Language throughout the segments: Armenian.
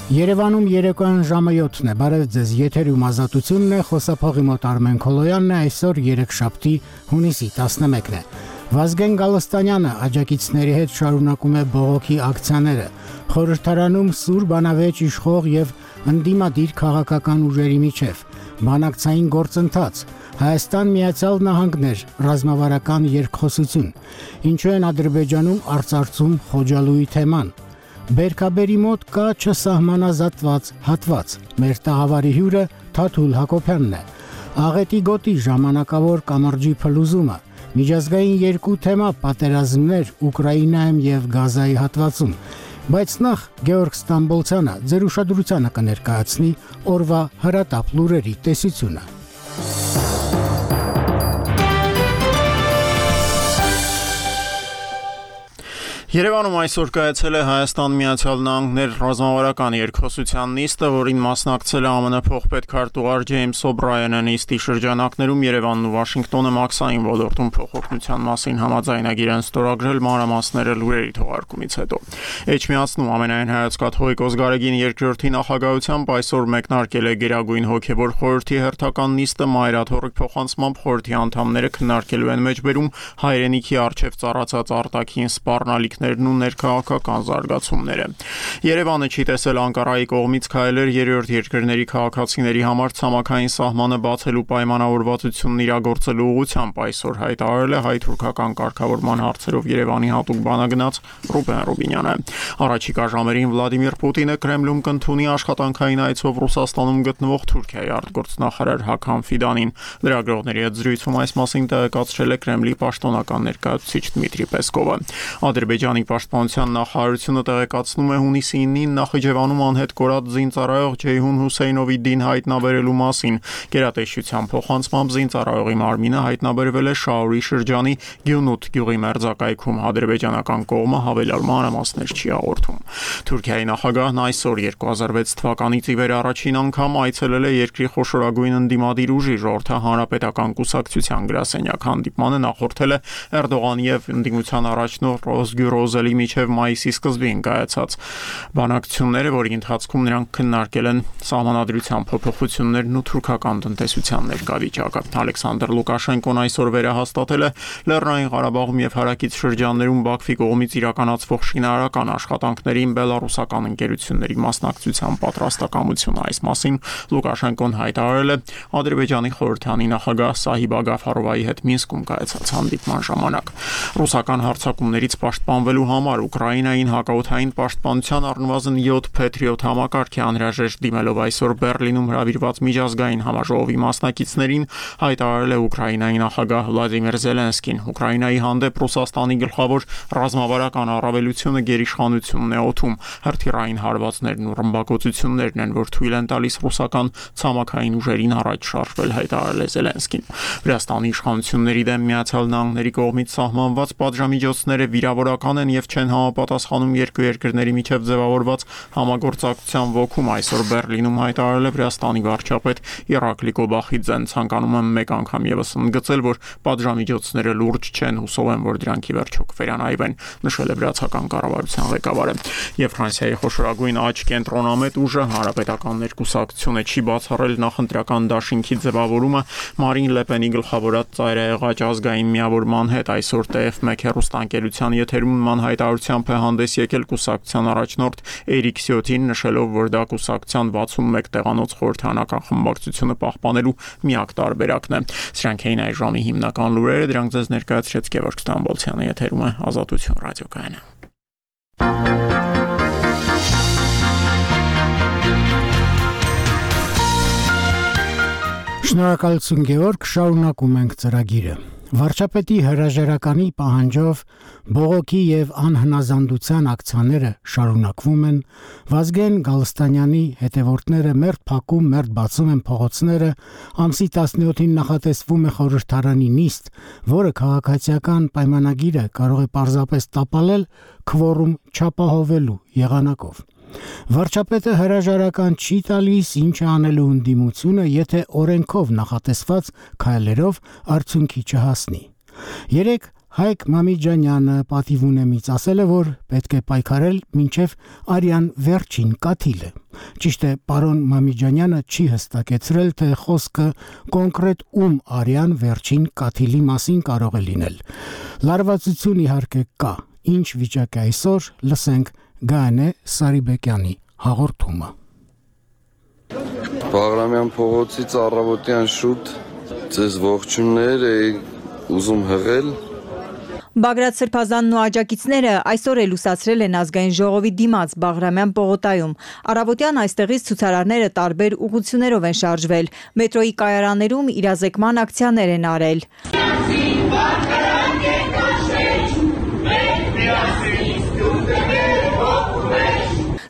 Երևանում երեկոյան ժամը 7-ն է, բարև ձեզ, եթերում ազատությունն է, խոսափողի մոտ Արմեն Քոլոյանն է, այսօր երեքշաբթի հունիսի 11-ն է։ Վազգեն Գալստանյանը աջակիցների հետ շարունակում է բողոքի ակցիաները, խորհրդարանում սուր բանավեճ իշխող եւ ընդդիմադիր քաղաքական ուժերի միջև, բանակցային գործընթաց, Հայաստան Միացյալ Նահանգներ, ռազմավարական երկխոսություն, ինչու են Ադրբեջանում արծարծում Խոջալույի թեման, Բերքաբերի մոտ կա չսահմանազատված հատված, մեր տաղավարի հյուրը Թաթուլ Հակոբյանն է, Աղետի գոտի ժամանակավոր կամրջի փլուզումը, միջազգային երկու թեմա պատերազմներ Ուկրաինայում եւ Գազայի հատվածում, բայց նախ Գեորգ Ստամբոլցյանը ձեր ուշադրությանը կներկայացնի օրվա հրատապ լուրերի տեսությունը։ Երևանում այսօր կայացել է Հայաստան Միացյալ Նահանգներ ռազմավարական երկխոսության նիստը, որին մասնակցել է ԱՄՆ փոխպետքարտուղար Ջեյմս Օբրայենը, նիստի շրջանակներում Երևանն ու Վաշինգտոնը մաքսային ոլորտում փոխօգնության մասին համաձայնագիր են ստորագրել, մանրամասները լուրերի թողարկումից հետո։ Էջմիածնում ամենայն հայոց կաթողիկոս Գարեգին II նախագահությամբ այսօր մեկնարկել է Գերագույն հոգևոր խորհրդի հերթական նիստը, մայրաթոռի փոխանցմամբ խորհրդի անդամները քննարկելու են մեջբերում հայրենիքի առջև ծառացած արտաքին սպառնալիքներն ու ներքաղաքական զարգացումները։ Երևանը չի տեսել Անկարայի կողմից քայլեր երրորդ երկրների քաղաքացիների համար ցամաքային սահմանը բացելու պայմանավորվածությունն իրագործելու ուղղությամբ, այսօր հայտարարել է հայ-թուրքական կարգավորման հարցերով Երևանի հատուկ բանագնաց Ռուբեն Ռուբինյանը։ Առաջիկա ժամերին Վլադիմիր Պուտինը Կրեմլում կընդունի աշխատանքային այցով Ռուսաստանում գտնվող Թուրքիայի արտգործնախարար Հաքամ Ֆիդանին։ Լրագրողների հետ զրույցում այս մասին տեղեկացրել է Կրեմլի պաշտոնական ներկայացուցիչ Դմիտրի Պեսկովը։ Ադրբեջանի պաշտպանության նախարարությունը տեղեկացնում է հունիսի 9-ին Նախիջևանում անհետ կորած զինծառայող Ջեյհուն Հուսեյնովի դին հայտնաբերելու մասին։ Գերատեսչության փոխանցմամբ զինծառայողի մարմինը հայտնաբերվել է Շաուրի շրջանի Գյունութ գյուղի մերձակայքում, ադրբեջանական կողմը հավելյալ մանրամասներ չի հաղորդում։ Թուրքիայի նախագահն այսօր 2006 թվականից ի վեր առաջին անգամ այցելել է երկրի խոշորագույն ընդդիմադիր ուժի Ժողովրդի հանրապետական կուսակցության գրասենյակ, հանդիպմանը նախորդել է Էրդողանի եւ ընդդիմության առաջնորդ Ռոզգյուրոզելի միջև մայիսի սկզբին կայացած բանակցությունները, որի ընթացքում նրանք քննարկել են սահմանադրության փոփոխություններն ու թուրքական տնտեսության ներկայվիճակը։ Ալեքսանդր Լուկաշենկոն այսօր վերահաստատել է Լեռնային Ղարաբաղում եւ հարակից շրջաններում Բաքվի կողմից իրականացվող շինարարական աշխատանքներին բելարուսական ընկերությունների մասնակցության պատրաստակամությունը։ Այս մասին Լուկաշենկոն հայտարարել է Ադրբեջանի խորհրդանի նախագահ Սահիբ Ագաֆարովայի հետ Մինսկում կայացած հանդիպման ժամանակ։ Ռուսական հարձակումներից պաշտպանվելու համար Ուկրաինային հակաօդային պաշտպանության առնվազն 7 Patriot համակարգ է անհրաժեշտ դիմելով այսօր Բեռլինում հրավիրված միջազգային համաժողովի մասնակիցներին, հայտարարել է Ուկրաինայի նախագահ Վլադիմիր Զելենսկին։ Ուկրաինայի հանդեպ Ռուսաստանի գլխավոր ռազմավարական առավելությունը գերիշխանությունն է օդում։ Հրթիռային հարվածներն ու ռմբակոծություններն են, որ թույլ են տալիս ռուսական ցամաքային ուժերին առաջ շարժվել, հայտարարել է Զելենսկին։ Վրաստանի իշխանությունների դեմ Միացյալ Նահանգների կողմից սահմանված պատժամիջոցները վիրավորական են եւ չեն համապատասխանում երկու երկրների միջև ձևավորված համագործակցության ոգում, այսօր Բեռլինում հայտարարել է Վրաստանի վարչապետ Իրակլի Կոբախիձեն, ցանկանում եմ մեկ անգամ եւս ընդգծել, որ պատժամիջոցները լուրջ չեն, հուսով եմ, որ դրանք ի վերջո կվերանայվեն, նշել է վրացական կառավարության ղեկավարը։ Եվ Ֆրանսիայի խոշորագույն աճ կենտրոնամետ ուժը Հանրապետական ներկուսակցությունը չի բացառել նախընտրական դաշինքի ձևավորումը Մարին Լեպենի գլխավորած ծայրահեղաճ ազգային միավորման հետ։ Այսօր TF1 հեռուստաընկերության եթերում նման հայտարարությամբ է հանդես եկել կուսակցության առաջնորդ Էրիկ Սյոթին, նշելով, որ դա կուսակցության 61 տեղանոց խորհրդանական խմբակցությունը պահպանելու միակ տարբերակն է։ Սրանք էին այս ժամի հիմնական լուրերը, դրանք ձեզ ներկայացրեց Գևորգ Ստամբոլցյանը, եթերում է Ազատություն ռադիոկայանը։ Շնորհակալություն Գևորգ, շարունակում ենք ծրագիրը։ Վարչապետի հրաժարականի պահանջով բողոքի եւ անհնազանդության ակցիաները շարունակվում են, Վազգեն Գալստանյանի հետևորդները մերթ փակում, մերթ բացում են փողոցները, ամսի 17-ին նախատեսվում է խորհրդարանի նիստ, որը քաղաքացիական պայմանագիրը կարող է պարզապես տապալել քվորում չապահովելու եղանակով։ Վարչապետը հրաժարական չի տալիս, ինչ անելու ընդդիմությունը, եթե օրենքով նախատեսված քայլերով արդյունքի չհասնի։ Երեք Հայկ Մամիջանյանը պատիվ ունեմից ասել է, որ պետք է պայքարել մինչև արյան վերջին կաթիլը։ Ճիշտ է, պարոն Մամիջանյանը չի հստակեցրել, թե խոսքը կոնկրետ ում արյան վերջին կաթիլի մասին կարող է լինել։ Լարվածություն իհարկե կա, ինչ վիճակ է այսօր, լսենք Գանե Սարիբեկյանի հաղորդումը։ Բաղրամյան փողոցից առավոտյան շուտ ձեզ ողջուններ ուզում հղել։ Բագրատ Սրբազանն ու աջակիցները այսօր էլ լուսացրել են ազգային ժողովի դիմաց Բաղրամյան պողոտայում։ Առավոտյան այստեղից ցուցարարները տարբեր ուղղություններով են շարժվել։ Մետրոյի կայարաններում իրազեկման ակցիաներ են արել։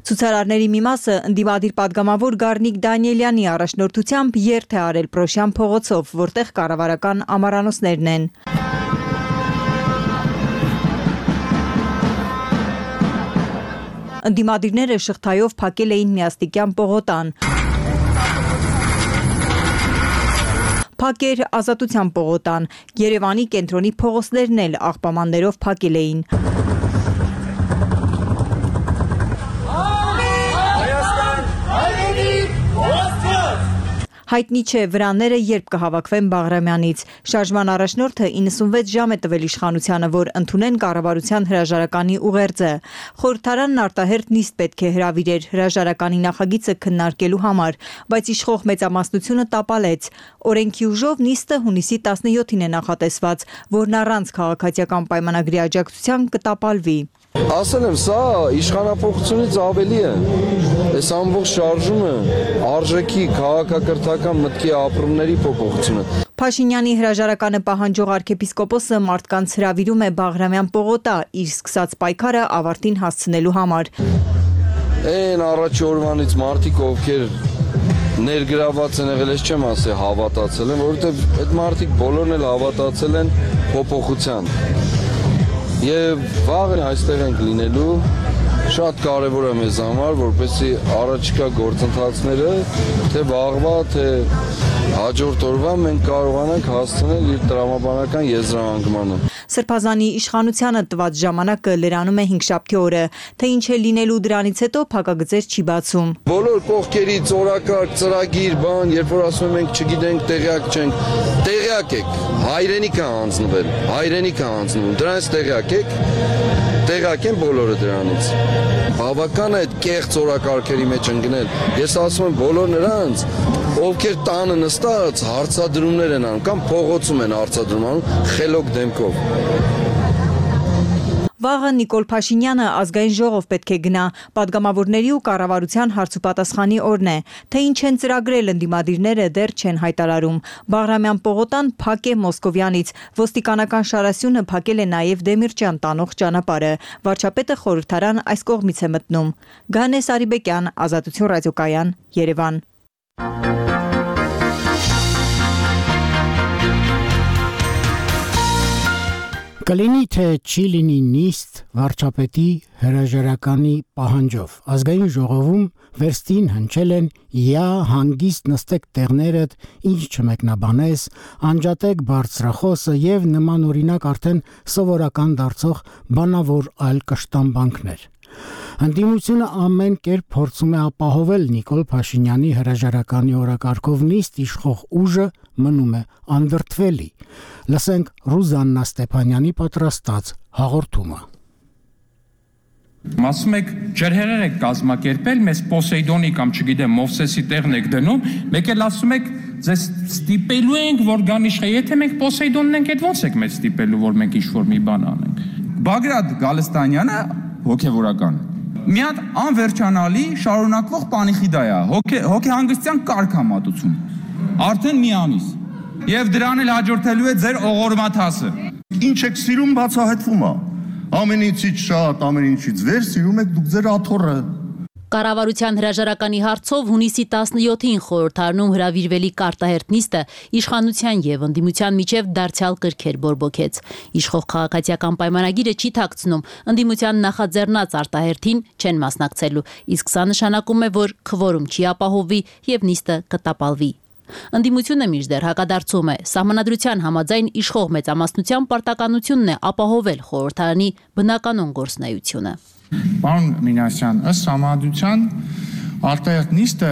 Ցուցարարների մի մասը ընդդիմադիր պատգամավոր Գառնիկ Դանիելյանի առաջնորդությամբ երթ է արել Պրոշյան փողոցով, որտեղ կառավարական ամառանոցներն են։ Ընդդիմադիրները շղթայով փակել էին միաստիկյան պողոտան։ Փակեր Ազատության պողոտան, Երևանի կենտրոնի փողոցներն էլ աղբամաններով փակել էին։ Հայտնի չէ վրանները երբ կհավաքվեն Բաղրամյանից։ Շարժման առաջնորդը 96 ժամ է տվել իշխանությանը, որ ընդունեն կառավարության հրաժարականի ուղերձը։ Խորհրդարանն արտահերթ նիստ պետք է հրավիրեր հրաժարականի նախագիծը քննարկելու համար, բայց իշխող մեծամասնությունը տապալեց։ Օրենքի ուժով նիստը հունիսի 17-ին է նախատեսված, որն առանց քաղաքացիական պայմանագրի աջակցության կտապալվի։ Ասել եմ, սա իշխանապողությունից ավելի է։ Այս ամբողջ շարժումը արժեքի քաղաքակրթական մտքի ապրումների փոփոխությունը։ Փաշինյանի հրաժարականը պահանջող arczepiskopos-ը մարդկանց հրավիրում է Բաղրամյան պողոտա իր սկսած պայքարը ավարտին հասցնելու համար։ Այն առաջի օրվանից մարդիկ, ովքեր ներգրաված են եղել, ես չեմ ասի հավատացել են, որովհետև այդ մարդիկ բոլորն էլ հավատացել են փոփոխության։ Եվ վաղը այստեղ ենք լինելու, շատ կարևոր է մեզ համար, որպեսզի առաջիկա գործընթացները, թե վաղվա, թե հաջորդ օրվա մենք կարողանանք հասցնել իր տրամաբանական եզրահանգմանը։ Սրբազանի իշխանությանը տված ժամանակը լրանում է հինգշաբթի օրը, թե ինչ է լինելու դրանից հետո փակագծեր չի բացում։ Բոլոր կողքերից օրակարգ, ծրագիր, բան, երբ որ ասում ենք չգիտենք, տեղյակ չենք, տեղյակ եք, հայրենիք է հանձնվում, դրանից տեղյակ եք, տեղյակ են բոլորը դրանից։ Բավական է այդ կեղծ օրակարգերի մեջ ընկնել։ Ես ասում եմ բոլոր նրանց, ովքեր տանը նստած հարցադրումներ են անում կամ փողոցում են հարցադրում անում խելոք դեմքով։ Վաղը Նիկոլ Փաշինյանը ազգային ժողով պետք է գնա, պատգամավորների ու կառավարության հարցուպատասխանի օրն է, թե ինչ են ծրագրել ընդդիմադիրները դեռ չեն հայտարարում։ Բաղրամյան պողոտան փակ է Մոսկովյանից, ոստիկանական շարասյունը փակել է նաև Դեմիրճյան տանող ճանապարհը։ Վարչապետը խորհրդարան այս կողմից է մտնում։ Գանե Սարիբեկյան, Ազատություն ռադիոկայան, Երևան։ Կլինի թե չի լինի նիստ վարչապետի հրաժարականի պահանջով։ Ազգային ժողովում վերստին հնչել են «Յա հանգիստ նստեք տեղներդ, ինչ չմեկնաբանես», անջատեք բարձրախոսը եւ նման օրինակ արդեն սովորական դարձող բանավոր այլ կշտամբանքներ։ Ընդդիմությունը ամեն կերպ փորձում է ապահովել Նիկոլ Փաշինյանի հրաժարականի օրակարգով նիստ իշխող ուժը մնում է անդրդվելի։ Լսենք Ռուզաննա Ստեփանյանի պատրաստած հաղորդումը։ Ասում եք ջրհեղեղ եք կազմակերպել, մեզ Պոսեյդոնի կամ չգիտեմ Մովսեսի տեղն եք դնում, մեկ էլ ասում եք ձեզ ստիպելու ենք, որ գան իշխե, եթե մենք Պոսեյդոնն ենք, այդ ո՞նց եք մեզ ստիպելու, որ մենք ինչ-որ մի բան անենք։ Բագրատ Գալստանյանը հոգևորական մի հատ անվերջանալի շարունակվող պանիխիդա է, հոգեհանգստյան կարգամատություն, արդեն մի ամիս, և դրան էլ հաջորդելու է ձեր օղորմաթասը։ Ինչ եք սիրում բացահայտվում է, ամեն ինչից շատ, ամեն ինչից վեր սիրում եք դուք ձեր աթոռը։ Կառավարության հրաժարականի հարցով հունիսի 17-ին խորհրդարանում հրավիրվելիք արտահերթ նիստը իշխանության եւ ընդդիմության միջև դարձյալ կրքեր բորբոքեց։ Իշխող քաղաքացիական պայմանագիրը չի թաքցնում, ընդդիմության նախաձեռնած արտահերթին չեն մասնակցելու, իսկ սա նշանակում է, որ քվորում չի ապահովվի եւ նիստը կտապալվի։ Ընդդիմությունը մինչդեռ հակադարձում է, սահմանադրության համաձայն իշխող մեծամասնության պարտականությունն է ապահովել խորհրդարանի բնականոն գործունեությունը։ Պարոն Մինասյան, ըստ սահմանադրության արտահերթ նիստը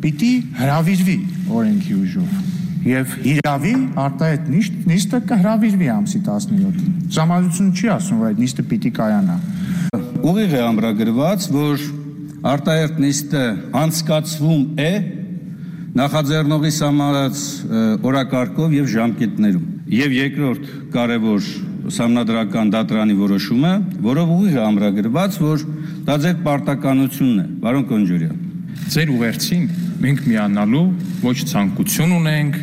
պիտի հրավիրվի օրենքի ուժով եւ հիրավի արտահերթ նիստը կհրավիրվի ամսի 17-ին։ Սահմանադրությունը չի ասում, որ այդ նիստը պիտի կայանա։ Ուղիղ է ամրագրված, որ արտահերթ նիստը անցկացվում է նախաձեռնողի սահմանած օրակարգով եւ ժամկետներում։ Եվ երկրորդ կարևոր սահմանադրական դատարանի որոշումը, որով ուղիղ է ամրագրված, որ դա ձեր պարտականությունն է, պարոն Կոնջորյան։ Ձեր ուղերձին մենք միանալու ոչ ցանկություն ունենք,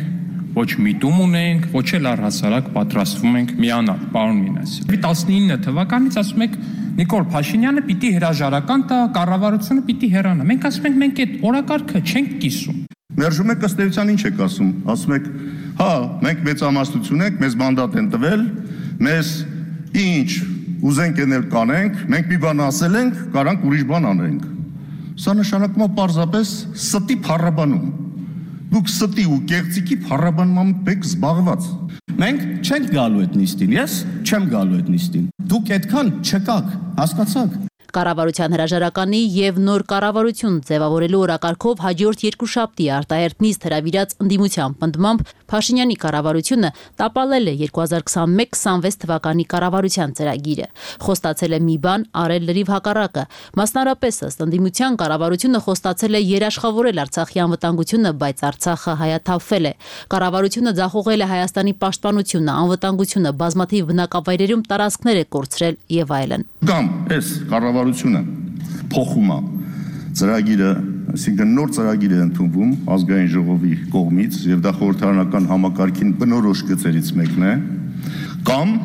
ոչ միտում ունենք, ոչ էլ առհասարակ պատրաստվում ենք միանալ, պարոն Մինասյան։ 19 թվականից ասում եք Նիկոլ Փաշինյանը պիտի հրաժարական տա, կառավարությունը պիտի հեռանա։ Մենք ասում ենք մենք այդ օրակարգը չենք կիսում։ Մերժում եք ըստ էության ինչ եք ասում։ Ասում եք, հա, մենք մեծամասնություն ենք, մեզ մանդատ են տվել, մեզ ինչ ուզենք ենել կանենք, մենք մի բան ասել ենք, կարանք ուրիշ բան անենք։ Սա նշանակում է պարզապես ստի փառաբանում։ Դուք ստի ու կեղծիքի փառաբանությամբ եք զբաղված։ Մենք չենք գալու այդ նիստին, ես չեմ գալու այդ նիստին։ Դուք այդքան չկաք, հասկացաք։ Կառավարության հրաժարականի եւ նոր կառավարություն ձևավորելու օրակարգով հաջորդ երկուշաբթի արտահերթ նիստ հրավիրած ընդդիմության պնդմամբ Փաշինյանի կառավարությունը տապալել է 2021-26 թվականի կառավարության ծրագիրը։ Խոստացել է մի բան, արել լրիվ հակառակը։ Մասնարարպես ըստ ընդդիմության կառավարությունը խոստացել է երաշխավորել Արցախի անվտանգությունը, բայց Արցախը հայաթափվել է։ Կառավարությունը ձախողել է Հայաստանի պաշտպանությունը, անվտանգությունը, բազմաթիվ բնակավայրերում տարածքներ է կորցրել եւ այլն։ Կամ այս կառավարությունը փոխում է ծրագիրը, այսինքն նոր ծրագիր է ընդունվում ազգային ժողովի կողմից եւ դա խորհրդարանական համակարգին բնորոշ գծերից մեկն է, կամ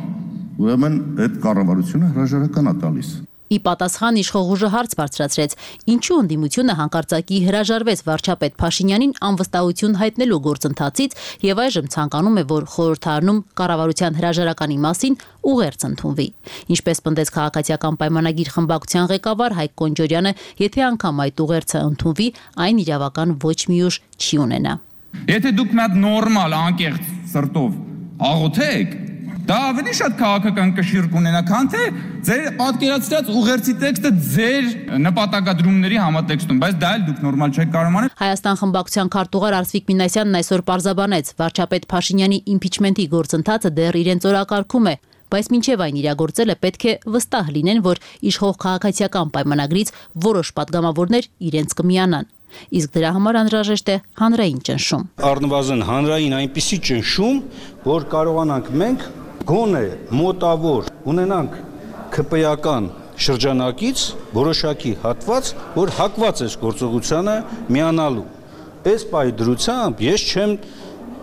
ուրեմն այդ կառավարությունը հրաժարական է տալիս։ Ի պատասխան իշխող ուժը հարց բարձրացրեց, ինչու ընդդիմությունը հանկարծակի հրաժարվեց վարչապետ Փաշինյանին անվստահություն հայտնելու գործընթացից եւ այժմ ցանկանում է, որ խորհրդարանում կառավարության հրաժարականի մասին ուղերձ ընդունվի։ Ինչպես պնդեց քաղաքացիական պայմանագիր խմբակցության ղեկավար Հայկ Կոնջորյանը, եթե անգամ այդ ուղերձը ընդունվի, այն իրավական ոչ մի ուժ չի ունենա։ Եթե դուք մի հատ նորմալ անկեղծ սրտով աղոթեք, դա ավելի շատ քաղաքական կշիռ կունենա, քան թե ձեր պատկերացրած ուղերձի տեքստը ձեր նպատակադրումների համատեքստում, բայց դա էլ դուք նորմալ չեք կարող անել։ Հայաստան խմբակցության քարտուղար Արսվիկ Մինասյանն այսօր պարզաբանեց, վարչապետ Փաշինյանի իմպիչմենթի գործընթացը դեռ իրենց օրակարգում է, բայց մինչև այն իրագործելը պետք է վստահ լինեն, որ իշխող քաղաքացիական պայմանագրից որոշ պատգամավորներ իրենց կմիանան։ Իսկ դրա համար անհրաժեշտ է հանրային ճնշում։ Առնվազն հանրային այնպիսի ճնշում, որ կարողանանք մենք գոնե մոտավոր ունենանք ԿՊ-ական շրջանակից որոշակի հատված, որ հակված է գործողությանը միանալու։ Այս պայդրությամբ ես չեմ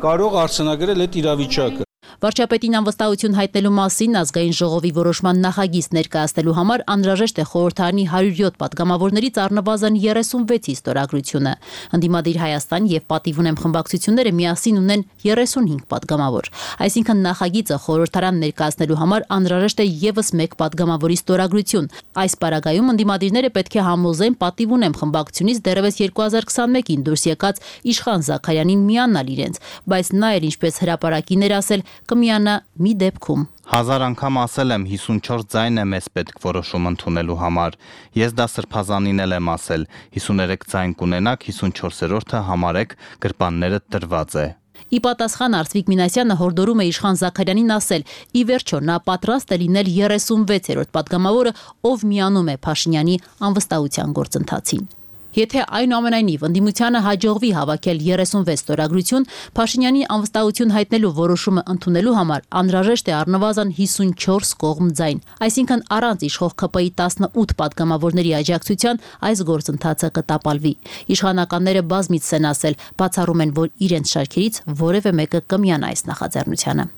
կարող արձանագրել այդ իրավիճակը։ Վարչապետին անվստահություն հայտնելու մասին ազգային ժողովի որոշման նախագիծ ներկայացնելու համար անհրաժեշտ է խորհրդարանի 107 պատգամավորներից առնվազն 36-ի ստորագրությունը։ Ընդդիմադիր Հայաստան եւ Պատիվ ունեմ խմբակցությունները միասին ունեն 35 պատգամավոր։ Այսինքն նախագիծը խորհրդարան ներկայացնելու համար անհրաժեշտ է եւս մեկ պատգամավորի ստորագրություն։ Այս պարագայում ընդդիմադիրները պետք է համոզեն Պատիվ ունեմ խմբակցությունից դեռևս 2021-ին դուրս եկած Իշխան Զաքարյանին միանալ իրենց, բայց նա էլ ինչպես հրապարակին էր ասել կմիանա մի դեպքում։ 1000 անգամ ասել եմ 54 ձայն է մեզ պետք որոշում ընդունելու համար։ Ես դա սրբազանին էլ եմ ասել, 53 ձայն կունենաք, 54-րդը համարեք գրպանները տրված է։ Ի պատասխան Արսվիկ Մինասյանը հորդորում է Իշխան Զաքարյանին ասել, ի վերջո նա պատրաստ է լինել 36-րդ պատգամավորը, ով միանում է Փաշինյանի անվստահության գործընթացին։ Եթե այնուամենայնիվ ընդդիմությանը հաջողվի հավաքել 36 ստորագրություն, Փաշինյանի անվստահություն հայտնելու որոշումը ընդունելու համար անհրաժեշտ է առնվազն 54 կողմ ձայն, այսինքն առանց իշխող ԿՊ-ի 18 պատգամավորների աջակցության այս գործընթացը կտապալվի։ Իշխանականները բազմիցս են ասել, բացառում են, որ իրենց շարքերից որևէ մեկը կմիանա այս նախաձեռնությանը։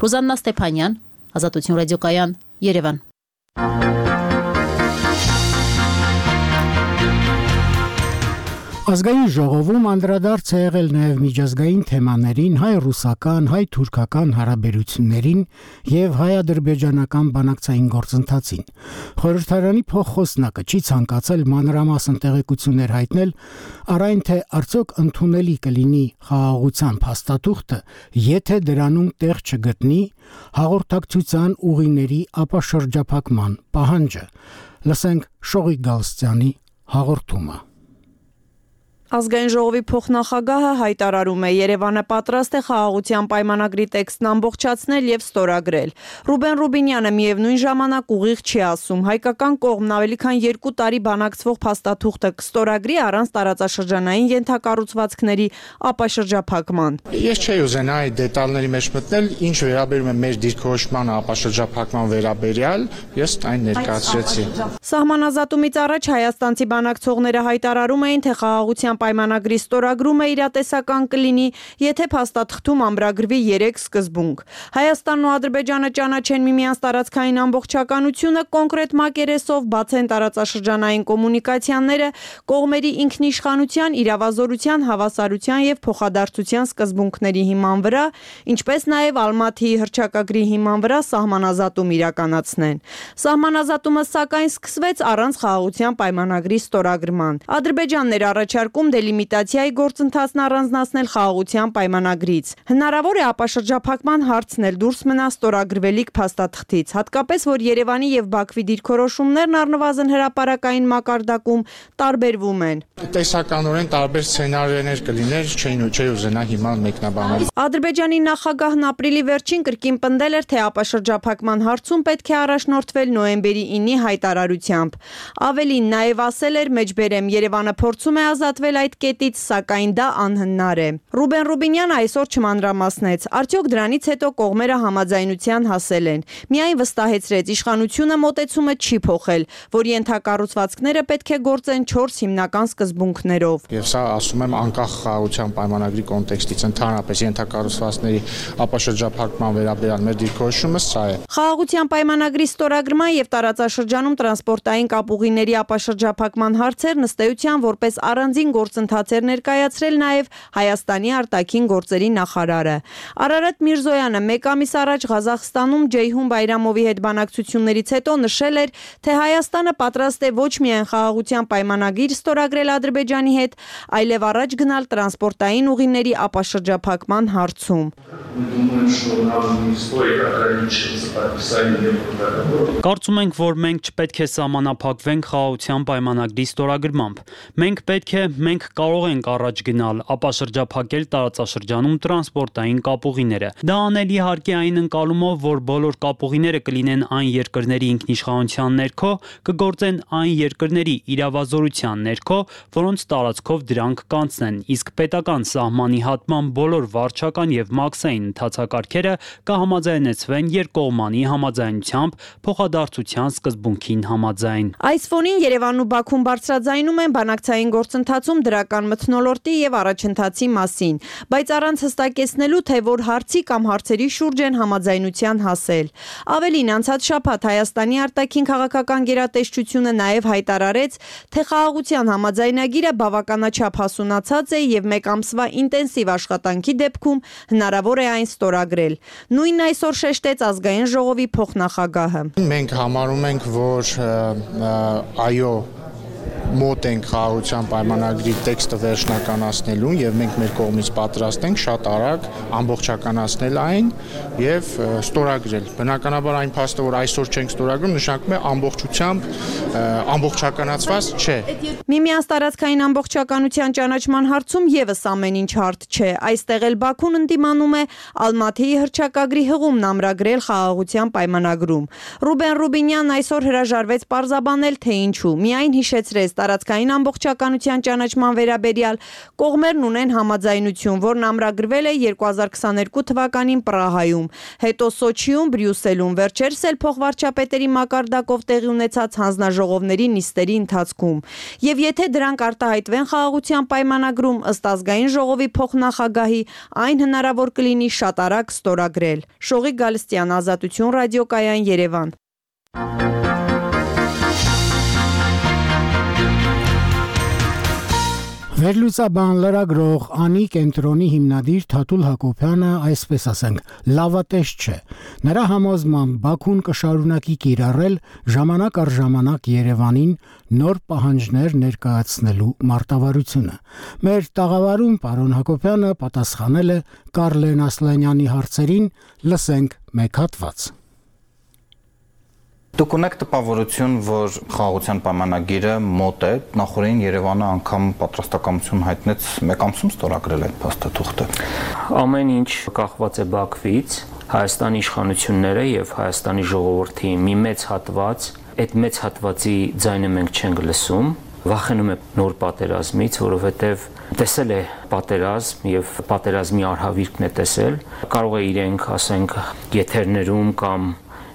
Ռոզաննա Ստեփանյան, Ազատություն ռադիոկայան, Երևան։ Ազգային ժողովում անդրադարձ է եղել նաև միջազգային թեմաներին, հայ-ռուսական, հայ-թուրքական հարաբերություններին եւ հայ-ադրբեջանական բանակցային գործընթացին։ Խորհրդարանի փոխխոսնակը չի ցանկացել մանրամասն տեղեկություններ հայտնել առ այն, թե արդյոք ընդունելի կլինի խաղաղության փաստաթուղթը, եթե դրանում տեղ չգտնի հաղորդակցության ուղիների ապաշրջափակման պահանջը։ Լսենք Շողիկ Գալստյանի հաղորդումը։ Ազգային ժողովի փոխնախագահը հայտարարում է, Երևանը պատրաստ է խաղաղության պայմանագրի տեքստն ամբողջացնել եւ ստորագրել։ Ռուբեն Ռուբինյանը միևնույն ժամանակ ուղիղ չի ասում, հայկական կողմն ավելի քան 2 տարի բանակցվող փաստաթուղթը կստորագրի առանց տարածաշրջանային ենթակառուցվածքների ապաշրջափակման։ Ես չէի ուզենա այդ դետալների մեջ մտնել, ինչ վերաբերում է մեր դիրքորոշման ապաշրջափակման վերաբերյալ, ես այն ներկայացրեցի։ Սահմանազատումից առաջ հայաստանցի բանակցողները հայտարարում էին, թե խաղաղության պայմանագրի ստորագրումը իրատեսական կլինի, եթե փաստաթղթում ամրագրվի 3 սկզբունք։ Հայաստանն ու Ադրբեջանը ճանաչեն միմյանց տարածքային ամբողջականությունը, կոնկրետ մակերեսով բացեն տարածաշրջանային կոմունիկացիաները, կողմերի ինքնիշխանության, իրավազորության, հավասարության եւ փոխադարձության սկզբունքների հիման վրա, ինչպես նաեւ Ալմաթիի հռչակագրի հիման վրա սահմանազատում իրականացնեն։ Սահմանազատումը սակայն սկսվեց առանց խաղաղության պայմանագրի ստորագրման։ Ադրբեջանն էր առաջարկում դելիմիտացիայի գործընթացն առանձնացնել խաղաղության պայմանագրից։ Հնարավոր է ապաշրջափակման հարցն էլ դուրս մնա ստորագրվելիք փաստաթղթից, հատկապես որ Երևանի եւ Բաքվի դիրքորոշումներն առնվազն հրապարակային մակարդակում տարբերվում են։ Տեսականորեն տարբեր սցենարիներ կլիներ, չէի ուզենա հիմա մեկնաբանել։ Ադրբեջանի նախագահն ապրիլի վերջին կրկին պնդել էր, թե ապաշրջափակման հարցում պետք է առաջնորդվել նոյեմբերի 9-ի հայտարարությամբ։ Ավելին նաև ասել էր, մեջբերեմ, Երևանը փորձում է ազատվել այդ կետից, սակայն դա անհնար է։ Ռուբեն Ռուբինյանը այսօր չմանրամասնեց, արդյոք դրանից հետո կողմերը համաձայնության հասել են։ Միայն վստահեցրեց, իշխանությունը մոտեցումը չի փոխել, որ ենթակառուցվածքները պետք է գործեն 4 հիմնական սկզբունքներով։ Եվ սա ասում եմ անկախ խաղաղության պայմանագրի կոնտեքստից, ընդհանրապես ենթակառուցվածքների ապաշրջափակման վերաբերյալ մեր դիրքորոշումը սա է։ Խաղաղության պայմանագրի ստորագրման եւ տարածաշրջանում տրանսպորտային կապուղիների ապաշրջափակման հարցերն ըստ էության որպես առանձին գործընթաց էր ներկայացրել նաև Հայաստանի արտաքին գործերի նախարարը։ Արարատ Միրզոյանը մեկ ամիս առաջ Ղազախստանում Ջեյհուն Բայրամովի հետ բանակցություններից հետո նշել էր, թե Հայաստանը պատրաստ է ոչ միայն խաղաղության պայմանագիր ստորագրել Ադրբեջանի հետ, այլև առաջ գնալ տրանսպորտային ուղիների ապաշրջափակման հարցում։ Կարծում ենք, որ մենք չպետք է սահմանափակվենք խաղաղության պայմանագրի ստորագրմամբ։ Մենք կարող ենք առաջ գնալ, ապաշրջափակել տարածաշրջանում տրանսպորտային կապուղիները։ Դա անել իհարկե այն ընկալումով, որ բոլոր կապուղիները կլինեն այն երկրների ինքնիշխանության ներքո, կգործեն այն երկրների իրավազորության ներքո, որոնց տարածքով դրանք կանցնեն, իսկ պետական սահմանի հատման բոլոր վարչական եւ մաքսային ընթացակարգերը կհամաձայնեցվեն երկկողմանի համաձայնությամբ փոխադարձության սկզբունքին համաձայն։ Այս ֆոնին Երևանն ու Բաքուն բարձրաձայնում են բանակցային գործընթացում դրական մթնոլորտի եւ առաջընթացի մասին, բայց առանց հստակեցնելու, թե որ հարցի կամ հարցերի շուրջ են համաձայնության հասել։ Ավելին, անցած շաբաթ Հայաստանի արտաքին քաղաքական գերատեսչությունը նաեւ հայտարարեց, թե խաղաղության համաձայնագիրը բավականաչափ հասունացած է եւ մեկ ամսվա ինտենսիվ աշխատանքի դեպքում հնարավոր է այն ստորագրել։ Նույնն այսօր շեշտեց ազգային ժողովի փոխնախագահը։ Մենք համարում ենք, որ այո մոտ ենք խաղաղության պայմանագրի տեքստը վերջնականացնելուն եւ մենք մեր կողմից պատրաստ ենք շատ արագ ամբողջականացնել այն եւ ստորագրել։ Բնականաբար այն փաստը, որ այսօր չենք ստորագրում, նշանակում է ամբողջությամբ ամբողջականացված չէ։ Միմյանց տարածքային ամբողջականության ճանաչման հարցում եւս ամեն ինչ հարթ չէ։ Այստեղ էլ Բաքուն ընդդիմանում է Ալմաթիի հռչակագրի հղումն ամրագրել խաղաղության պայմանագրում։ Ռուբեն Ռուբինյանն այսօր հրաժարվեց պարզաբանել, թե ինչու։ Միայն հիշեցրեց տարածքային ամբողջականության ճանաչման վերաբերյալ կողմերն ունեն համաձայնություն, որն ամրագրվել է 2022 թվականին Պրահայում, հետո Սոչիում, Բրյուսելում, վերջերս էլ փոխվարչապետերի մակարդակով տեղի ունեցած հանձնաժողովների նիստերի ընթացքում։ Եվ եթե դրանք արտահայտվեն խաղաղության պայմանագրում, ըստ ազգային ժողովի փոխնախագահի, այն հնարավոր կլինի շատ արագ ստորագրել։ Շողիկ Գալստյան, Ազատություն ռադիոկայան, Երևան։ Վերլուծաբան լրագրող Անի կենտրոնի հիմնադիր Թաթուլ Հակոբյանը այսպես ասենք լավատես չէ։ Նրա համոզմամբ Բաքուն կշարունակի կիրառել ժամանակ առ ժամանակ Երևանին նոր պահանջներ ներկայացնելու մարտավարությունը։ Մեր տաղավարում պարոն Հակոբյանը պատասխանել է Կարլեն Ասլանյանի հարցերին, լսենք մեկ հատված։ Դուք ունեք տպավորություն, որ խաղաղության պայմանագիրը մոտ է, նախորդին Երևանը անգամ պատրաստակամություն հայտնեց մեկ ամսում ստորագրել այդ փաստաթուղթը։ Ամեն ինչ կախված է Բաքվից, Հայաստանի իշխանությունները եւ Հայաստանի ժողովրդի մի մեծ հատված, այդ մեծ հատվածի ձայնը մենք չենք լսում, վախենում է նոր պատերազմից, որովհետեւ տեսել է պատերազմ եւ պատերազմի արհավիրքն է տեսել, կարող է իրենք, ասենք, եթերներում կամ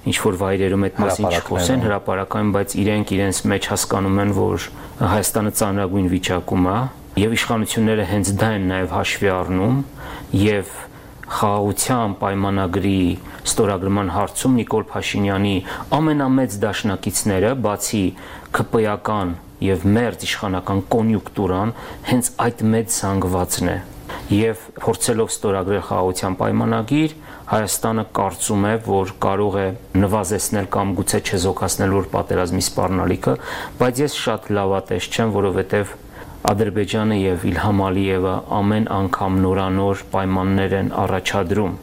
ինչ-որ վայրերում այդ մասին չխոսեն հրապարակային, բայց իրենք իրենց մեջ հասկանում են, որ Հայաստանը ծանրագույն վիճակում է եւ իշխանությունները հենց դա են նաեւ հաշվի առնում եւ խաղաղության պայմանագրի ստորագրման հարցում Նիկոլ Փաշինյանի ամենամեծ դաշնակիցները, բացի ԿՊ-ական եւ մերձ իշխանական կոնյունկտուրան, հենց այդ մեծ զանգվածն է եւ փորձելով ստորագրել խաղաղության պայմանագիր, Հայաստանը կարծում է, որ կարող է նվազեցնել կամ գուցե չեզոքացնել որ պատերազմի սպառնալիքը, բայց ես շատ լավատես չեմ, որովհետեւ Ադրբեջանը եւ Իլհամ Ալիևը ամեն անգամ նորանոր պայմաններ են առաջադրում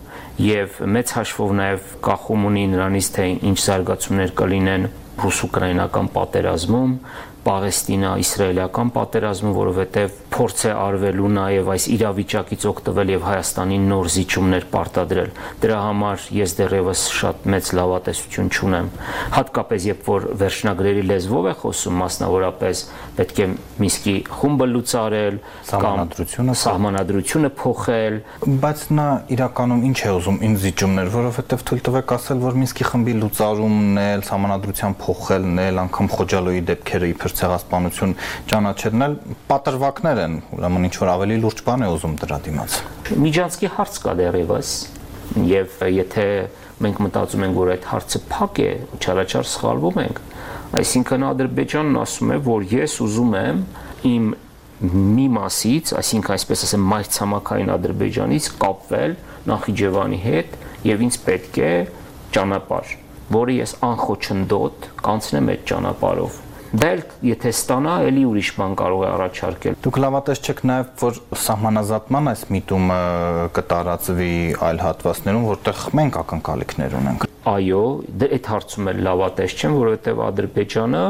եւ մեծ հաշվով նաեւ կախում ունի նրանից, թե ինչ զարգացումներ կլինեն ռուս-ուկրաինական պատերազմում, Պաղեստինա-իսրայելական պատերազմում, որովհետև փորձ է արվելու նաև այս իրավիճակից օգտվել եւ Հայաստանին նոր զիջումներ պարտադրել։ Դրա համար ես դեռևս շատ մեծ լավատեսություն չունեմ։ Հատկապես երբ որ վերջնագրերի լեզվով է խոսում, մասնավորապես պետք է Մինսկի խումբը լուծարել կամ սահմանադրությունը փոխել, բայց նա իրականում ինչ է ուզում ինչ զիջումներ, որովհետև թույլ տվեք ասել, որ Մինսկի խմբի լուծարումն է, սահմանադրության փոխելն է, անգամ Խոջալոյի դեպքերը իբր ցեղասպանություն ճանաչելն էլ պատրվակներ են, ուրեմն ինչ որ ավելի լուրջ բան է ուզում դրա դիմաց։ Միջանցքի հարց կա դեռևս, եւ եթե մենք մտածում ենք, որ այդ հարցը փակ է, չարաչար սխալվում ենք, այսինքն Ադրբեջանն ասում է, որ ես ուզում եմ իմ մի մասից, այսինքն այսպես ասեմ, մայրցամաքային Ադրբեջանից կապվել Նախիջևանի հետ եւ ինձ պետք է ճանապարհ, որը ես անխոչնդոտ կանցնեմ այդ ճանապարհով։ Դա էլ եթե ստանա, էլի ուրիշ բան կարող է առաջարկել։ Դուք լավատես չեք նաև, որ սահմանազատման այս միտումը կտարածվի այլ հատվածներում, որտեղ մենք ակնկալիքներ ունենք։ Այո, այդ հարցում էլ լավատես չեմ, որովհետև Ադրբեջանը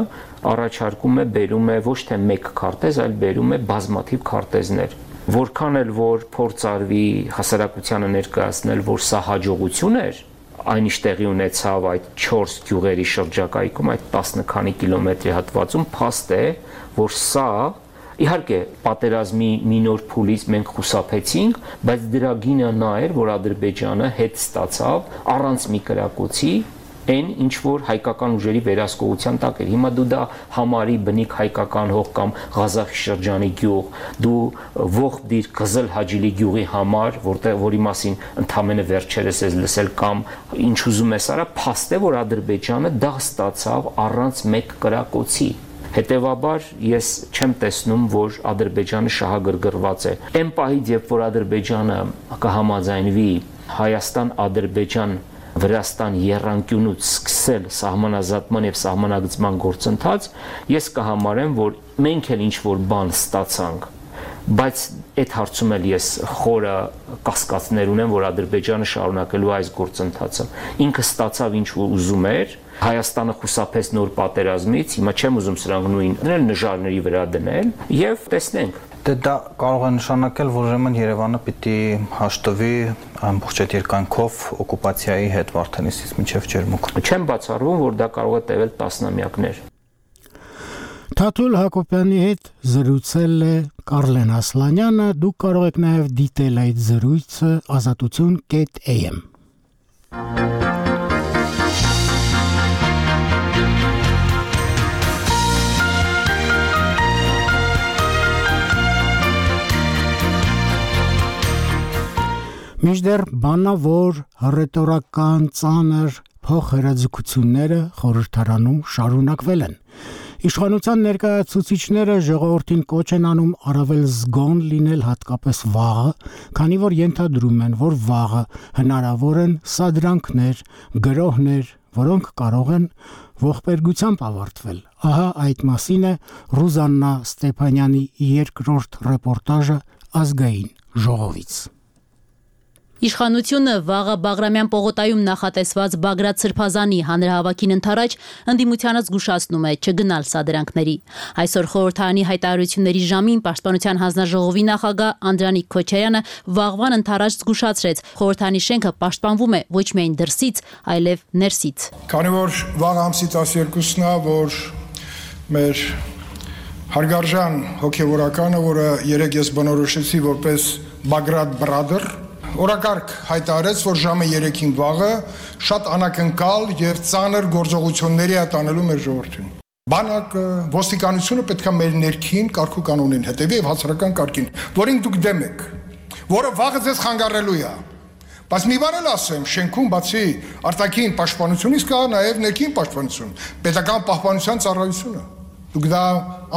առաջարկում է, բերում է ոչ թե մեկ քարտեզ, այլ բերում է բազմաթիվ քարտեզներ։ Որքան էլ որ փորձ արվի հասարակությանը ներկայացնել, որ սա հաջողություն էր, այն ինչ տեղի ունեցավ այդ 4 գյուղերի շրջակայքում, այդ 10 քանի կիլոմետրի հատվածում, փաստ է, որ սա իհարկե պատերազմի մի նոր փուլից մենք խուսափեցինք, բայց դրա գինը նա էր, որ Ադրբեջանը հետ ստացավ առանց մի կրակոցի այն ինչ որ հայկական ուժերի վերահսկողության տակ էր։ Հիմա դու դա համարի բնիկ հայկական հող կամ Ղազախի շրջանի գյուղ, դու ողջ դիր Կզել Հաջիլի գյուղի համար, որի մասին ընդամենը վերջերս ես լսել կամ ինչ ուզում ես արա, փաստ է, որ Ադրբեջանը դա ստացավ առանց մեկ կրակոցի։ Հետևաբար ես չեմ տեսնում, որ Ադրբեջանը շահագրգռված է։ Այն պահից, երբ որ Ադրբեջանը կհամաձայնվի Հայաստան-Ադրբեջան Վրաստան եռանկյունուց սկսել սահմանազատման եւ սահմանագծման գործընթաց, ես կհամարեմ, որ մենք էլ ինչ-որ բան ստացանք, բայց այդ հարցում էլ ես խորը կասկածներ ունեմ, որ Ադրբեջանը շարունակելու այս գործընթացը։ Ինքը ստացավ ինչ ուզում էր, Հայաստանը խուսափեց նոր պատերազմից, հիմա չեմ ուզում սրանք նույն դնել, նժարների վրա դնել եւ տեսնենք։ Դե դա կարող է նշանակել, որ ուրեմն Երևանը պիտի հաշտվի ամբողջ այդ երկայնքով օկուպացիայի հետ Վարդենիսից մինչև Ջերմուկ։ Չեմ բացառվում, որ դա կարող է տևել տասնամյակներ։ Թաթուլ Հակոբյանի հետ զրուցել է Կարլեն Ասլանյանը, դուք կարող եք նաև դիտել այդ զրույցը azatutun.am։ Մինչդեռ բանավոր ռետորական ծանր փոխհրաձգությունները խորհրդարանում շարունակվել են։ Իշխանության ներկայացուցիչները ժողովրդին կոչ են անում առավել զգոն լինել հատկապես վաղը, քանի որ ենթադրում են, որ վաղը հնարավոր են սադրանքներ, գրոհներ, որոնք կարող են ողբերգությամբ ավարտվել։ Ահա այդ մասին է Ռուզաննա Ստեփանյանի երկրորդ ռեպորտաժը ազգային ժողովից։ Իշխանությունը վաղը Բաղրամյան պողոտայում նախատեսված Բագրատ Սրբազանի հանրահավաքին ընթരാճ ընդդիմությանը զգուշացնում է չգնալ սադրանքների։ Այսօր խորհրդարանի հայտարարությունների ժամին Պաշտպանության հանձնաժողովի նախագահ Անդրանիկ Քոչարյանը վաղվան ընթരാճ զգուշացրեց, խորհրդարանի շենքը պաշտպանվում է ոչ միայն դրսից, այլև ներսից։ Քանի որ վաղ ամսից 12-ն է, որ մեր հարգարժան հոգևորականը, որը երեք ես բնորոշեցի որպես Բագրատ Brother, օրակարգ հայտարարեց, որ ժամը 3-ին վաղը շատ անակնկալ եւ ծանր գործողությունների է տանելու մեր ժողովրդին։ Բանակը, ոստիկանությունը պետք է մեր ներքին կարգ ու կանոնին հետևի եւ հասարակական կարգին, որին դուք դեմ եք, որը վաղը ձեզ խանգարելու է։ Բայց մի բան էլ ասեմ, շենքում բացի արտաքին պաշտպանությունից կա նաեւ ներքին պաշտպանություն, պետական պահպանության ծառայությունը։ Դուք դա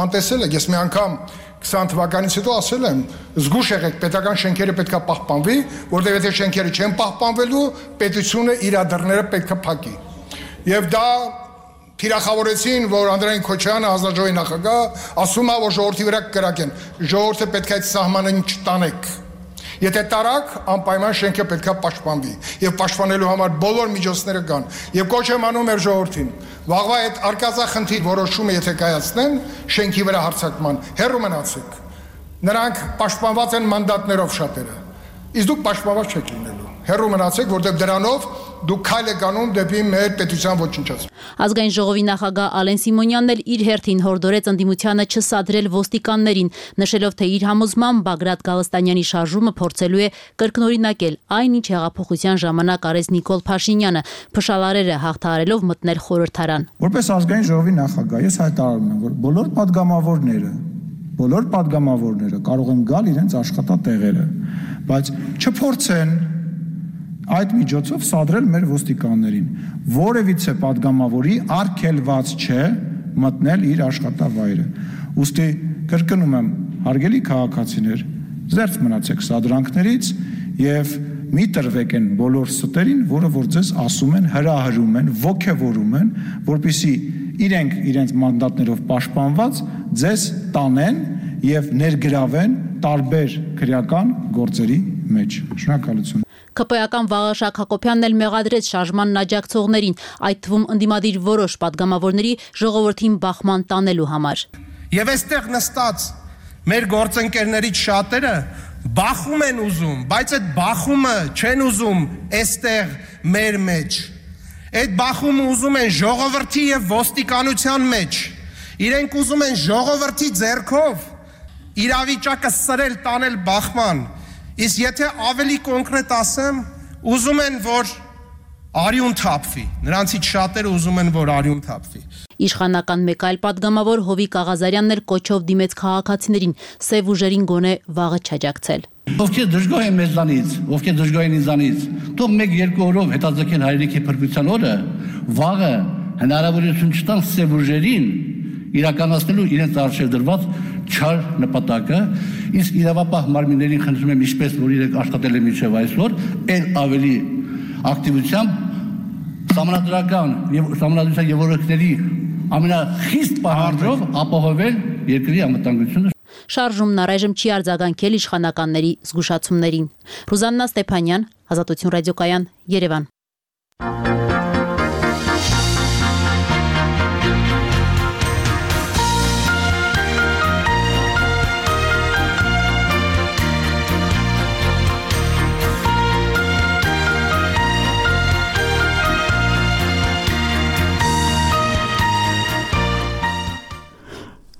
անտեսել եք, ես մի անգամ 20 թվականից հետո ասել եմ, զգուշ եղեք, պետական շենքերը պետքա պահպանվի, որտեղ եթե շենքերը չեն պահպանվելու, պետությունը իր դռները պետքա փակի։ Եվ դա թիրախավորեցին, որ Անդրանիկ Քոչարյանը հանձնաժողովի նախագահ ասում է, որ ժողովրդի վրա կրակեն։ Ժողովուրդը պետք է այդ սահմանին չտանեք։ Եթե տարակ, անպայման շենքը պետքա պաշտպանվի եւ պաշտպանելու համար բոլոր միջոցները կան։ Եվ կոչ եմ անում մեր ժողովրդին, վաղվա այդ արկածախնդիր որոշումը եթե կայացնեն շենքի վրա հարձակման, հեռու մնացեք։ Նրանք պաշտպանված են մանդատներով շատերը։ Իսկ դուք պաշտպանված չեք լինելու։ Հեռու մնացեք, որտեղ դրանով դուք քայլ եք անում դեպի մեր պետության ոչնչացում։ Ազգային ժողովի նախագահ Ալեն Սիմոնյանն էլ իր հերթին հորդորեց ընդդիմությանը չսադրել ոստիկաններին, նշելով, թե իր համոզմամբ Բագրատ Գալստանյանի շարժումը փորձելու է կրկնօրինակել այն, ինչ հեղափոխության ժամանակ արեց Նիկոլ Փաշինյանը, փշալարերը հաղթահարելով մտնել խորհրդարան։ Որպես ազգային ժողովի նախագահ ես հայտարարում եմ, որ բոլոր падգամավորները կարող են գալ իրենց աշխատատեղերը, բայց չփորձեն այդ միջոցով սադրել մեր ոստիկաններին։ Որևիցե падգամավորի արգելված չէ մտնել իր աշխատավայրը։ Ուստի կրկնում եմ, հարգելի քաղաքացիներ, զերծ մնացեք սադրանքներից եւ մի տրվեք են բոլոր ստերին, որը որ ձեզ ասում են, հրահրում են, ոգևորում են, որպեսզի իրենք իրենց մանդատներով պաշտպանված ձեզ տանեն եւ ներգրավեն տարբեր քրեական գործերի մեջ։ Շնորհակալություն։ ԿՊ-ական Վաղաշակ Հակոբյանն էլ մեղադրեց շարժմանն աջակցողներին, այդ թվում ընդդիմադիր որոշ падգամավորների ժողովրդին բախման տանելու համար։ Եվ այստեղ նստած մեր գործընկերներից շատերը բախում են ուզում, բայց այդ բախումը չեն ուզում այստեղ մեր մեջ։ Այդ բախումը ուզում են ժողովրդի եւ ոստիկանության մեջ։ Իրենք ուզում են ժողովրդի ձեռքով իրավիճակը սրել, տանել բախման։ Իսկ եթե ավելի կոնկրետ ասեմ, ուզում են, որ արյուն թափվի։ Նրանցից շատերը ուզում են, որ արյուն թափվի։ Իշխանական մեկ այլ падգամավոր Հովիկ Աղազարյանն էլ կոչով դիմեց քաղաքացիներին, սև ուժերին գոնե վաղը չաջակցել։ Ովքեր դժգոհ են մեզանից, ովքեր դժգոհ են ինձանից, թող 1-2 օրով հետաձգեն հայրենիքի փրկության օրը, վաղը հնարավորություն չտան սև ուժերին իրականացնելու իրենց արժեվ դրված չար նպատակը, իսկ իրավապահ մարմիններին խնդրում եմ ինչպես որ իրենք աշխատել են մինչև այսօր, այլ ավելի ակտիվությամբ համանդրական եւ համանդրության եւ օրենքների ամենախիստ պահանջով ապահովել երկրի անվտանգությունը։ Շարժումն առայժմ չի արձագանքել իշխանականների զգուշացումներին։ Ռուզաննա Ստեփանյան, Ազատություն ռադիոկայան, Երևան։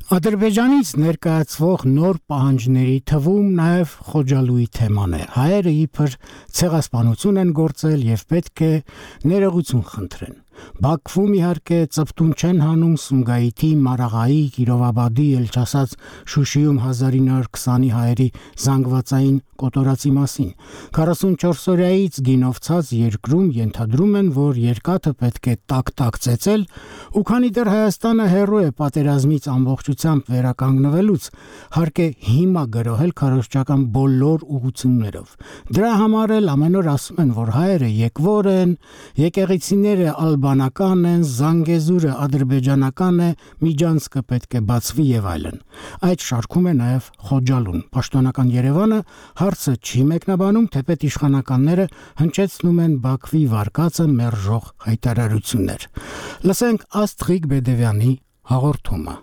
Ադրբեջանից ներկայացվող նոր պահանջների թվում նաև Խոջալույի թեման է։ Հայերը իբր ցեղասպանություն են գործել եւ պետք է ներողություն խնդրեն։ Բաքվում իհարկե ծպտուն չեն հանում Սումգայիթի, Մարաղայի, Կիրովաբադի, Էլչասած, Շուշիում 1920-ի հայերի զանգվածային կոտորածի մասին։ 44 օրյայից գինովցած երկրում ենթադրում են, որ երկաթը պետք է տակ-տակ ծեծել, ու քանի դեռ Հայաստանը հեռու է պատերազմից ամբողջությամբ վերականգնվելուց, հարկ է հիմա գրոհել քարոզչական բոլոր ուղղություններով։ Դրա համար էլ ամեն օր ասում են, որ հայերը եկվոր են, եկեղեցիները ալբանական են, Զանգեզուրը ադրբեջանական է, Միջանցքը պետք է բացվի եւ այլն։ Այդ շարքում է նաեւ Խոջալուն։ Պաշտոնական Երևանը հարցը չի մեկնաբանում, թեպետ իշխանականները հնչեցնում են Բաքվի վարկածը մերժող հայտարարություններ։ Լսենք Աստղիկ Բեդևյանի հաղորդումը։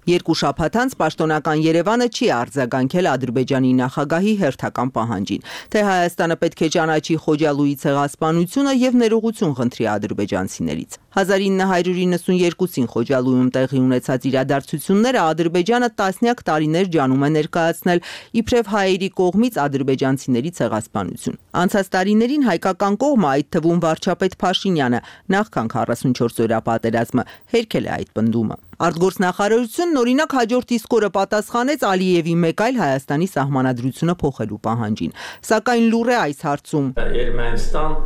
Երկու շաբաթ անց պաշտոնական Երևանը չի արձագանքել Ադրբեջանի նախագահի հերթական պահանջին, թե Հայաստանը պետք է ճանաչի Խոջալուի ցեղասպանությունը եւ ներողություն խնդրի ադրբեջանցիներից։ 1992-ին Խոջալույում տեղի ունեցած իրադարձությունները Ադրբեջանը տասնյակ տարիներ ջանում է ներկայացնել իբրև հայերի կողմից ադրբեջանցիների ցեղասպանություն։ Անցած տարիներին հայկական կողմը, այդ թվում վարչապետ Փաշինյանը, նախքան 44 օրյա պատերազմը հերքել է այդ պնդումը։ Արտգործնախարարությունն օրինակ հաջորդ իսկ օրը պատասխանեց Ալիևի մեկ այլ Հայաստանի սահմանադրությունը փոխելու պահանջին, սակայն լուր է այս հարցում։ Ermənistan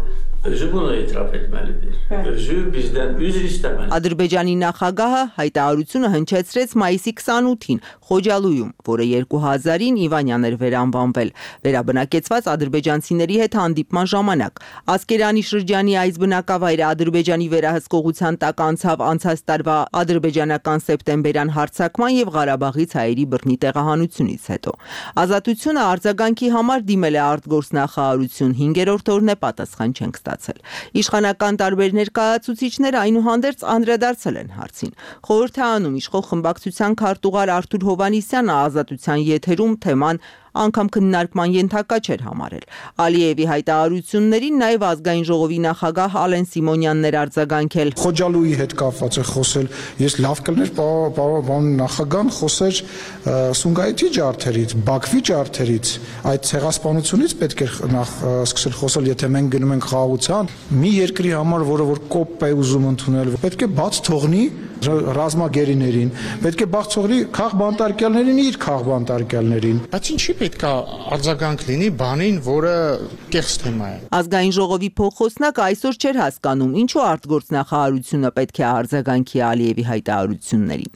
özü bunu itiraf etməlidir. Özü bizdən üzr istəməlidir. Ադրբեջանի նախագահը հայտարարությունը հնչեցրեց մայիսի 28-ին Խոջալույում, որը 2000-ին Իվանյան էր վերանվանվել, վերաբնակեցված ադրբեջանցիների հետ հանդիպման ժամանակ։ Ասկերանի շրջանի այս բնակավայրը Ադրբեջանի վերահսկողության տակ անցավ անցած տարվա ադրբեջանական սեպտեմբերյան հարձակման եւ Ղարաբաղից հայերի բռնի տեղահանությունից հետո։ Ազատությունը արձագանքի համար դիմել է արտգործնախարարություն, 5-րդ օրն է պատասխան չենք ստացել։ Իշխանական տարբեր ներկայացուցիչներ այնուհանդերձ անդրադարձել են հարցին։ Խորհրդարանում իշխող խմբակցության քարտուղար Արթուր Հովհաննիսյանը ազատության եթերում թեման անգամ քննարկման ենթակա չէր համարել։ Ալիևի հայտարարություններին նաև ազգային ժողովի նախագահ Ալեն Սիմոնյանն էր արձագանքել։ Խոջալուի հետ կապված է խոսել, ես լավ կլներ պարոն նախագահան խոսեր Սումգայիթի ջարդերից, Բաքվի ջարդերից, այդ ցեղասպանությունից պետք է նախ սկսել խոսել, եթե մենք գնում ենք խաղաղության, մի երկրի համար, որը որ կոպ է ուզում ընդունել, պետք է բաց թողնի ռազմագերիներին, պետք է բաց թողնի քաղբանտարկյալներին իր քաղբանտարկյալներին։ Բայց ինչի պետք է արձագանք լինի բանին, որը կեղծ թեմա է։ Ազգային ժողովի փոխխոսնակը այսօր չէր հասկանում, ինչու արտգործնախարարությունը պետք է արձագանքի Ալիևի հայտարարություններին։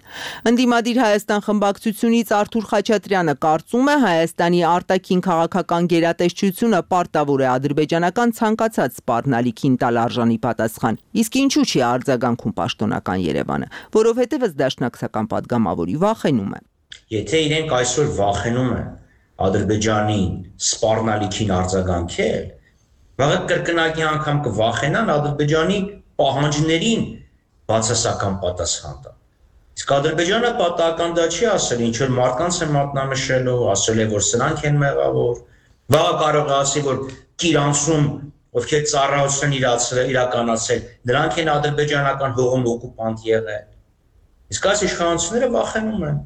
Ընդդիմադիր Հայաստան խմբակցությունից Արթուր Խաչատրյանը կարծում է, Հայաստանի արտաքին քաղաքական գերատեսչությունը պարտավոր է ադրբեջանական ցանկացած սպառնալիքին տալ արժանի պատասխան։ Իսկ ինչու չի արձագանքում պաշտոնական Երևանը, որովհետև ըստ դաշնակցական падգամավորի վախենում է։ Եթե իրենք այսօր վախենում են Ադրբեջանի սպառնալիքին արձագանքել, վաղը կրկնակի անգամ կվախենան Ադրբեջանի պահանջներին բացասական պատասխան տալ։ Իսկ Ադրբեջանը պատահական դա չի ասել, ինչ որ մարդկանց է մատնանշելու, ասել է, որ սրանք են մեղավոր։ Վաղը կարող է ասել, որ Կիրանցում ովքեր ծառայություն իրականացել, նրանք են ադրբեջանական հողում օկուպանտ եղել։ Իսկ այս իշխանությունները վախենում են,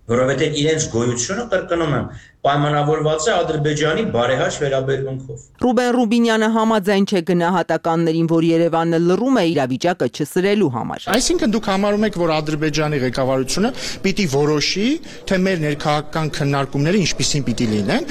որովհետև իրենց գոյությունը, կրկնում եմ, պայմանավորված է Ադրբեջանի բարեհաճ վերաբերմունքով։ Ռուբեն Ռուբինյանը համաձայն չէ գնահատականներին, որ Երևանը լռում է իրավիճակը չսրելու համար։ Այսինքն դուք համարում եք, որ Ադրբեջանի ղեկավարությունը պիտի որոշի, թե մեր ներքաղաքական քննարկումները ինչպիսին պիտի լինեն,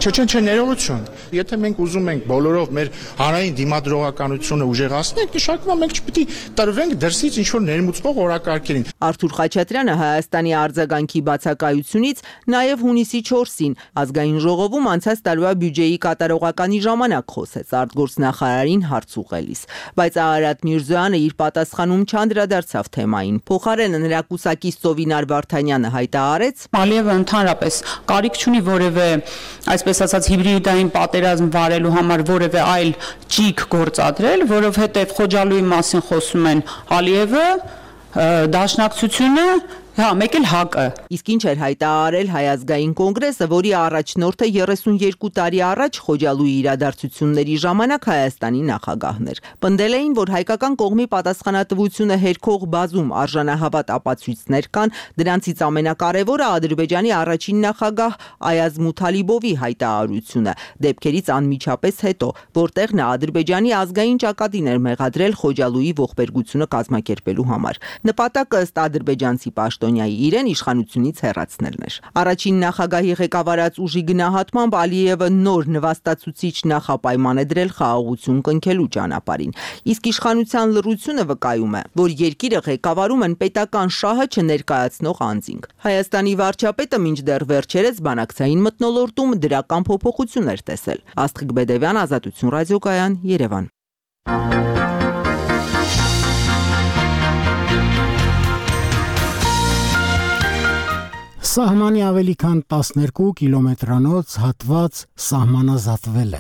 չէ, ներողություն։ Եթե մենք ուզում ենք բոլորով մեր հանրային դիմադրողականությունը ուժեղացնենք, նշանակում է մենք չպիտի տրվենք դրսից ինչ-որ ներմուծվող օրակարգերին։ Արթուր Խաչատրյանը Հայաստանի արձագանքի բացակայությունից նաև հունիսի 4-ին ազգային ժողովում անցած տարվա բյուջեի կատարողականի ժամանակ խոսեց արտգործնախարարին հարց ուղղելիս, բայց Արարատ Միրզոյանը իր պատասխանում չանդրադարձավ թեմային։ Փոխարենը նրա կուսակից Սովինար Վարդանյանը հայտարարեց. Ալիևը ընդհանրապես կարիք չունի որևէ, այսպես ասած, հիբրիդային պատերազմ վարելու համար որևէ այլ ճիգ գործադրել, որովհետև Խոջալույի մասին խոսում են Ալիևը, Դաշնակցությունը Հա, մեկ էլ ՀԱԿ-ը։ Իսկ ինչ էր հայտարարել Հայ ազգային կոնգրեսը, որի առաջնորդը 32 տարի առաջ Խոջալույի իրադարձությունների ժամանակ Հայաստանի նախագահն էր։ Պնդել էին, որ հայկական կողմի պատասխանատվությունը հերքող բազում արժանահավատ ապացույցներ կան, դրանցից ամենակարևորը Ադրբեջանի առաջին նախագահ Այազ Մութալիբովի հայտարարությունը, դեպքերից անմիջապես հետո, որտեղ նա Ադրբեջանի ազգային ճակատին էր մեղադրել Խոջալույի ողբերգությունը կազմակերպելու համար։ Նպատակը ըստ ադրբեջանցի պաշտոնյայի իրեն իշխանությունից հեռացնելն էր։ Առաջին նախագահի ղեկավարած ուժի գնահատմամբ Ալիևը նոր նվաստացուցիչ նախապայման է դրել խաղաղություն կնքելու ճանապարհին։ Իսկ իշխանության լռությունը վկայում է, որ երկիրը ղեկավարում են պետական շահը չներկայացնող անձինք։ Հայաստանի վարչապետը մինչդեռ վերջերս բանակցային մթնոլորտում դրական փոփոխություն էր տեսել։ Աստղիկ Բեդևյան, Ազատություն ռադիոկայան, Երևան։ Սահմանի ավելի քան 12 կիլոմետրանոց հատված սահմանազատվել է։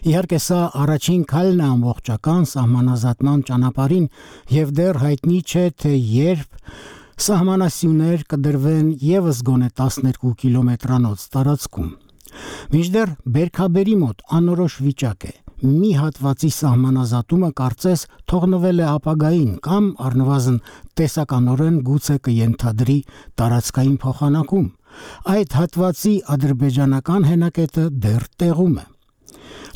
Իհարկե սա առաջին քայլն է ամբողջական սահմանազատման ճանապարհին եւ դեռ հայտնի չէ, թե երբ սահմանասյուներ կդրվեն եւս գոնե 12 կիլոմետրանոց տարածքում։ Մինչդեռ Բերքաբերի մոտ անորոշ վիճակ է։ Մի հատվածի սահմանազատումը կարծես թողնվել է ապագային կամ առնվազն տեսականորեն գուցե կենթադրի տարածքային փոխանակում։ Այդ հատվածի ադրբեջանական հենակետը դեռ տեղում է։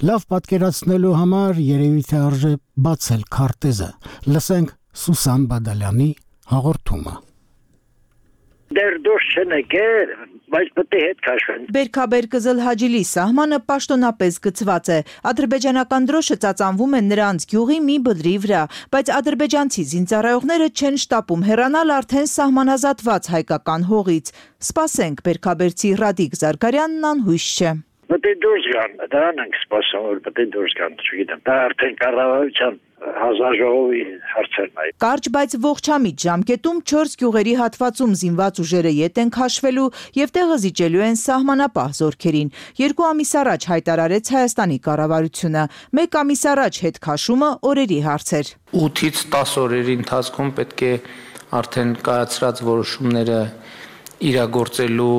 Լավ պատկերացնելու համար երևի թե արժե բացել քարտեզը։ Լսենք Սուսան Բադալյանի հաղորդումը։ Դեռ դուրս չնեկեր, բայց պետք է հետ քաշվեն։ Բերքաբեր Կզլ Հաջիլի սահմանը պաշտոնապես գծված է։ Ադրբեջանական դրոշը ծածանվում է նրանց գյուղի մի բլրի վրա, բայց ադրբեջանցի զինծառայողները չեն շտապում հեռանալ արդեն սահմանազատված հայկական հողից։ Սպասենք, բերքաբերցի Ռադիկ Զարգարյանն անհույս չէ։ Պետք է դուրս գան, դրան ենք սպասում, որ պետք է դուրս գան, չգիտեմ։ Դա արդեն կառավարության հանձնաժողովի հարցերն է։ Կարճ, բայց ողջամիտ ժամկետում 4 գյուղերի հատվածում զինված ուժերը ետ են քաշվելու եւ տեղը զիջելու են սահմանապահ զորքերին։ 2 ամիս առաջ հայտարարեց Հայաստանի կառավարությունը։ 1 ամիս առաջ հետ քաշումը օրերի հարց էր։ 8-ից 10 օրերի ընթացքում պետք է արդեն կայացրած որոշումները իրագործելու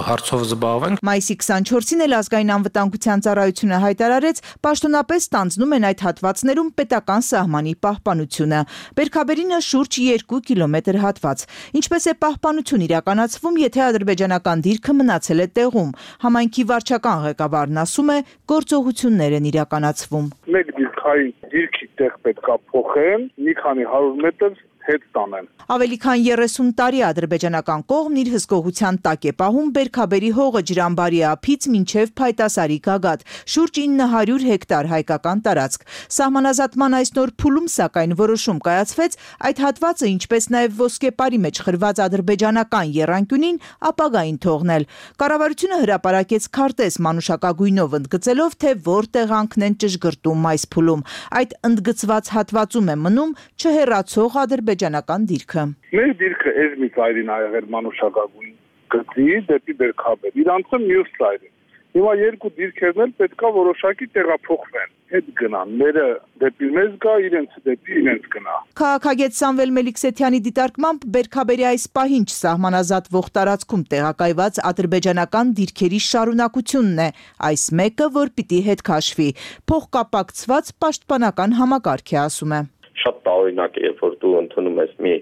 հարցով զբաղվենք։ Մայիսի 24-ին էլ ազգային անվտանգության ծառայությունը հայտարարեց, պաշտոնապես ստանձնում են այդ հատվածներում պետական սահմանի պահպանությունը։ Բերքաբերինը շուրջ 2 կիլոմետր հատված։ Ինչպես է պահպանություն իրականացվում, եթե ադրբեջանական դիրքը մնացել է տեղում։ Համայնքի վարչական ղեկավարն ասում է, գործողություններ են իրականացվում։ Մեկ դիրքային դիրքի տեղ պետքա փոխեն, մի քանի 100 մետր հետ տանեն։ Ավելի քան 30 տարի ադրբեջանական կողմն իր հսկողության տակ է պահում Բերքաբերի հողը Ջրամբարի ափից մինչև Փայտասարի գագաթ, շուրջ 900 հեկտար հայկական տարածք։ Սահմանազատման այս նոր փուլում սակայն որոշում կայացվեց այդ հատվածը, ինչպես նաև ոսկեպարի մեջ խրված ադրբեջանական եռանկյունին ապագային թողնել։ Կառավարությունը հրապարակեց քարտեզ մանուշակագույնով ընդգծելով, թե որտեղ անքնեն ճշգրտում այս փուլում։ Այդ ընդգծված հատվածում է մնում չհեռացող ադրբեջանական դիրքը։ Մեր դիրքը էս մի ծայրին ա եղել մանուշակագույն գծի դեպի Բերքաբեր, իրանցը մյուս ծայրին։ Հիմա երկու դիրքերն էլ պետքա որոշակի տեղափոխվեն, հետ գնան, մերը դեպի մեզ գա, իրենց դեպի իրենց գնա։ Քաղաքագետ Սամվել Մելիքսեթյանի դիտարկմամբ Բերքաբերի այս պահին չսահմանազատվող տարածքում տեղակայված ադրբեջանական դիրքերի շարունակությունն է, այս մեկը, որ պիտի հետ քաշվի, փոխկապակցված պաշտպանական համակարգ է, ասում է։ Շատ տարօրինակ է, երբ որ դու ընդունում ես մի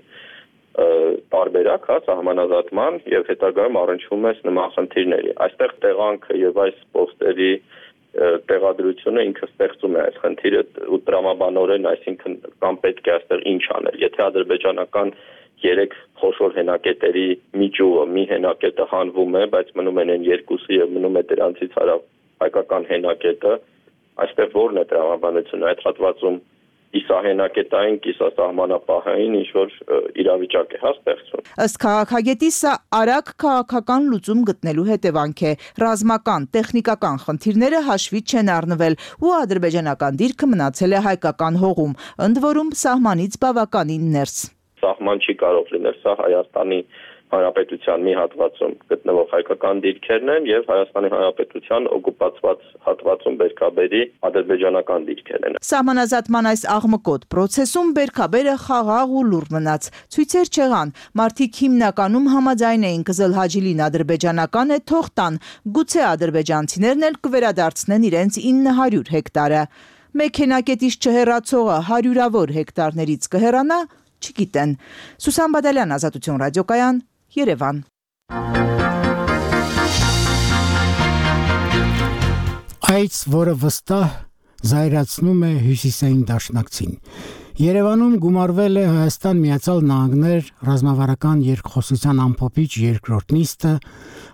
տարբերակ, հա, սահմանազատման եւ հետագայում առնչվում ես նման խնդիրների։ Այստեղ տեղանքը եւ այս պոստերի տեղադրությունը ինքը ստեղծում է այս խնդիրը ու տրամաբանորեն, այսինքն կամ պետք է այստեղ ինչ անել։ Եթե ադրբեջանական 3 խոշոր հենակետերի մի ճյուղը, մի հենակետը հանվում է, բայց մնում են այն երկուսը եւ մնում է դրանցից հայկական հենակետը, այստեղ ո՞րն է տրամաբանությունը այդ հատվածում իսահենակետային, կիսասահմանապահային ինչ-որ իրավիճակ է ստեղծվում։ Ըստ քաղաքագետի սա արագ քաղաքական լուծում գտնելու հետևանք է։ Ռազմական, տեխնիկական խնդիրները հաշվի չեն առնվել ու ադրբեջանական դիրքը մնացել է հայկական հողում, ընդ որում սահմանից բավականին ներս։ Սահման չի կարող լինել, սա Հայաստանի Հանրապետության մի հատվածում գտնվող հայկական դիրքերն են եւ Հայաստանի Հանրապետության օկուպացված հատվածում բերքաբերի ադրբեջանական դիրքերն են։ Սահմանազատման այս աղմկոտ process-ում բերքաբերը խաղաղ ու լուռ մնաց։ Ցույցեր չեղան, մարդիկ հիմնականում համաձայն էին Կզլհաջիլին ադրբեջանական է, թող տան, գուցե ադրբեջանցիներն էլ կվերադարձնեն իրենց 900 հեկտարը։ Մեքենակետից չհեռացողը հարյուրավոր հեկտարներից կհեռանա, չգիտեն։ Սուսան Բադալյան, Ազատություն ռադիոկայան, Երևան։ Այս, որը վստահ զայրացնում է հյուսիսային դաշնակցին։ Երևանում գումարվել է Հայաստան Միացյալ Նահանգներ ռազմավարական երկխոսության ամփոփիչ երկրորդ նիստը,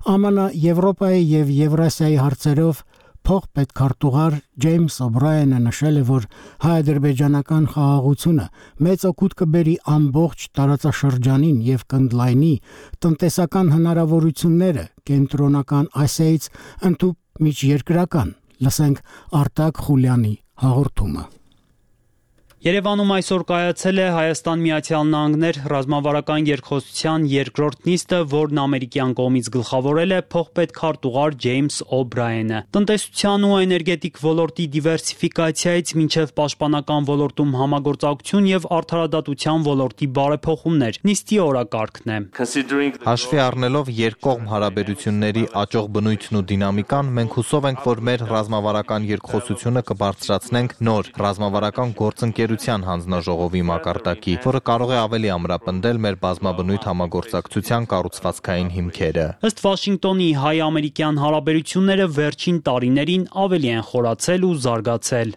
ԱՄՆ, Եվրոպայի եւ Եվրասիայի հարցերով փոխպետքարտուղար Ջեյմս Օբրայենը նշել է, որ հայ-ադրբեջանական խաղաղությունը մեծ օգուտ կբերի ամբողջ տարածաշրջանին եւ կընդլայնի տնտեսական հնարավորությունները կենտրոնական Ասիայից ընդհանուր միջերկրական։ Լսենք Արտակ Խուլյանի հաղորդումը։ Երևանում այսօր կայացել է Հայաստան Միացյալ Նահանգներ ռազմավարական երկխոսության երկրորդ նիստը, որն ամերիկյան կողմից գլխավորել է փոխպետքարտուղար Ջեյմս Օբրայենը։ Տնտեսության ու էներգետիկ ոլորտի դիվերսիֆիկացիայից մինչև պաշտպանական ոլորտում համագործակցություն եւ արդարադատության ոլորտի բարեփոխումներ նիստի օրակարգն է։ Հաշվի առնելով երկկողմ հարաբերությունների աճող բնույթն ու դինամիկան, մենք հուսով ենք, որ մեր ռազմավարական երկխոսությունը կբարձրացնենք նոր ռազմավարական գործընկերության հանձնաժողովի մակարդակի, որը կարող է ավելի ամրապնդել մեր բազմաբնույթ համագործակցության կառուցվածքային հիմքերը։ Ըստ Վաշինգտոնի, հայ-ամերիկյան հարաբերությունները վերջին տարիներին ավելի են խորացել ու զարգացել։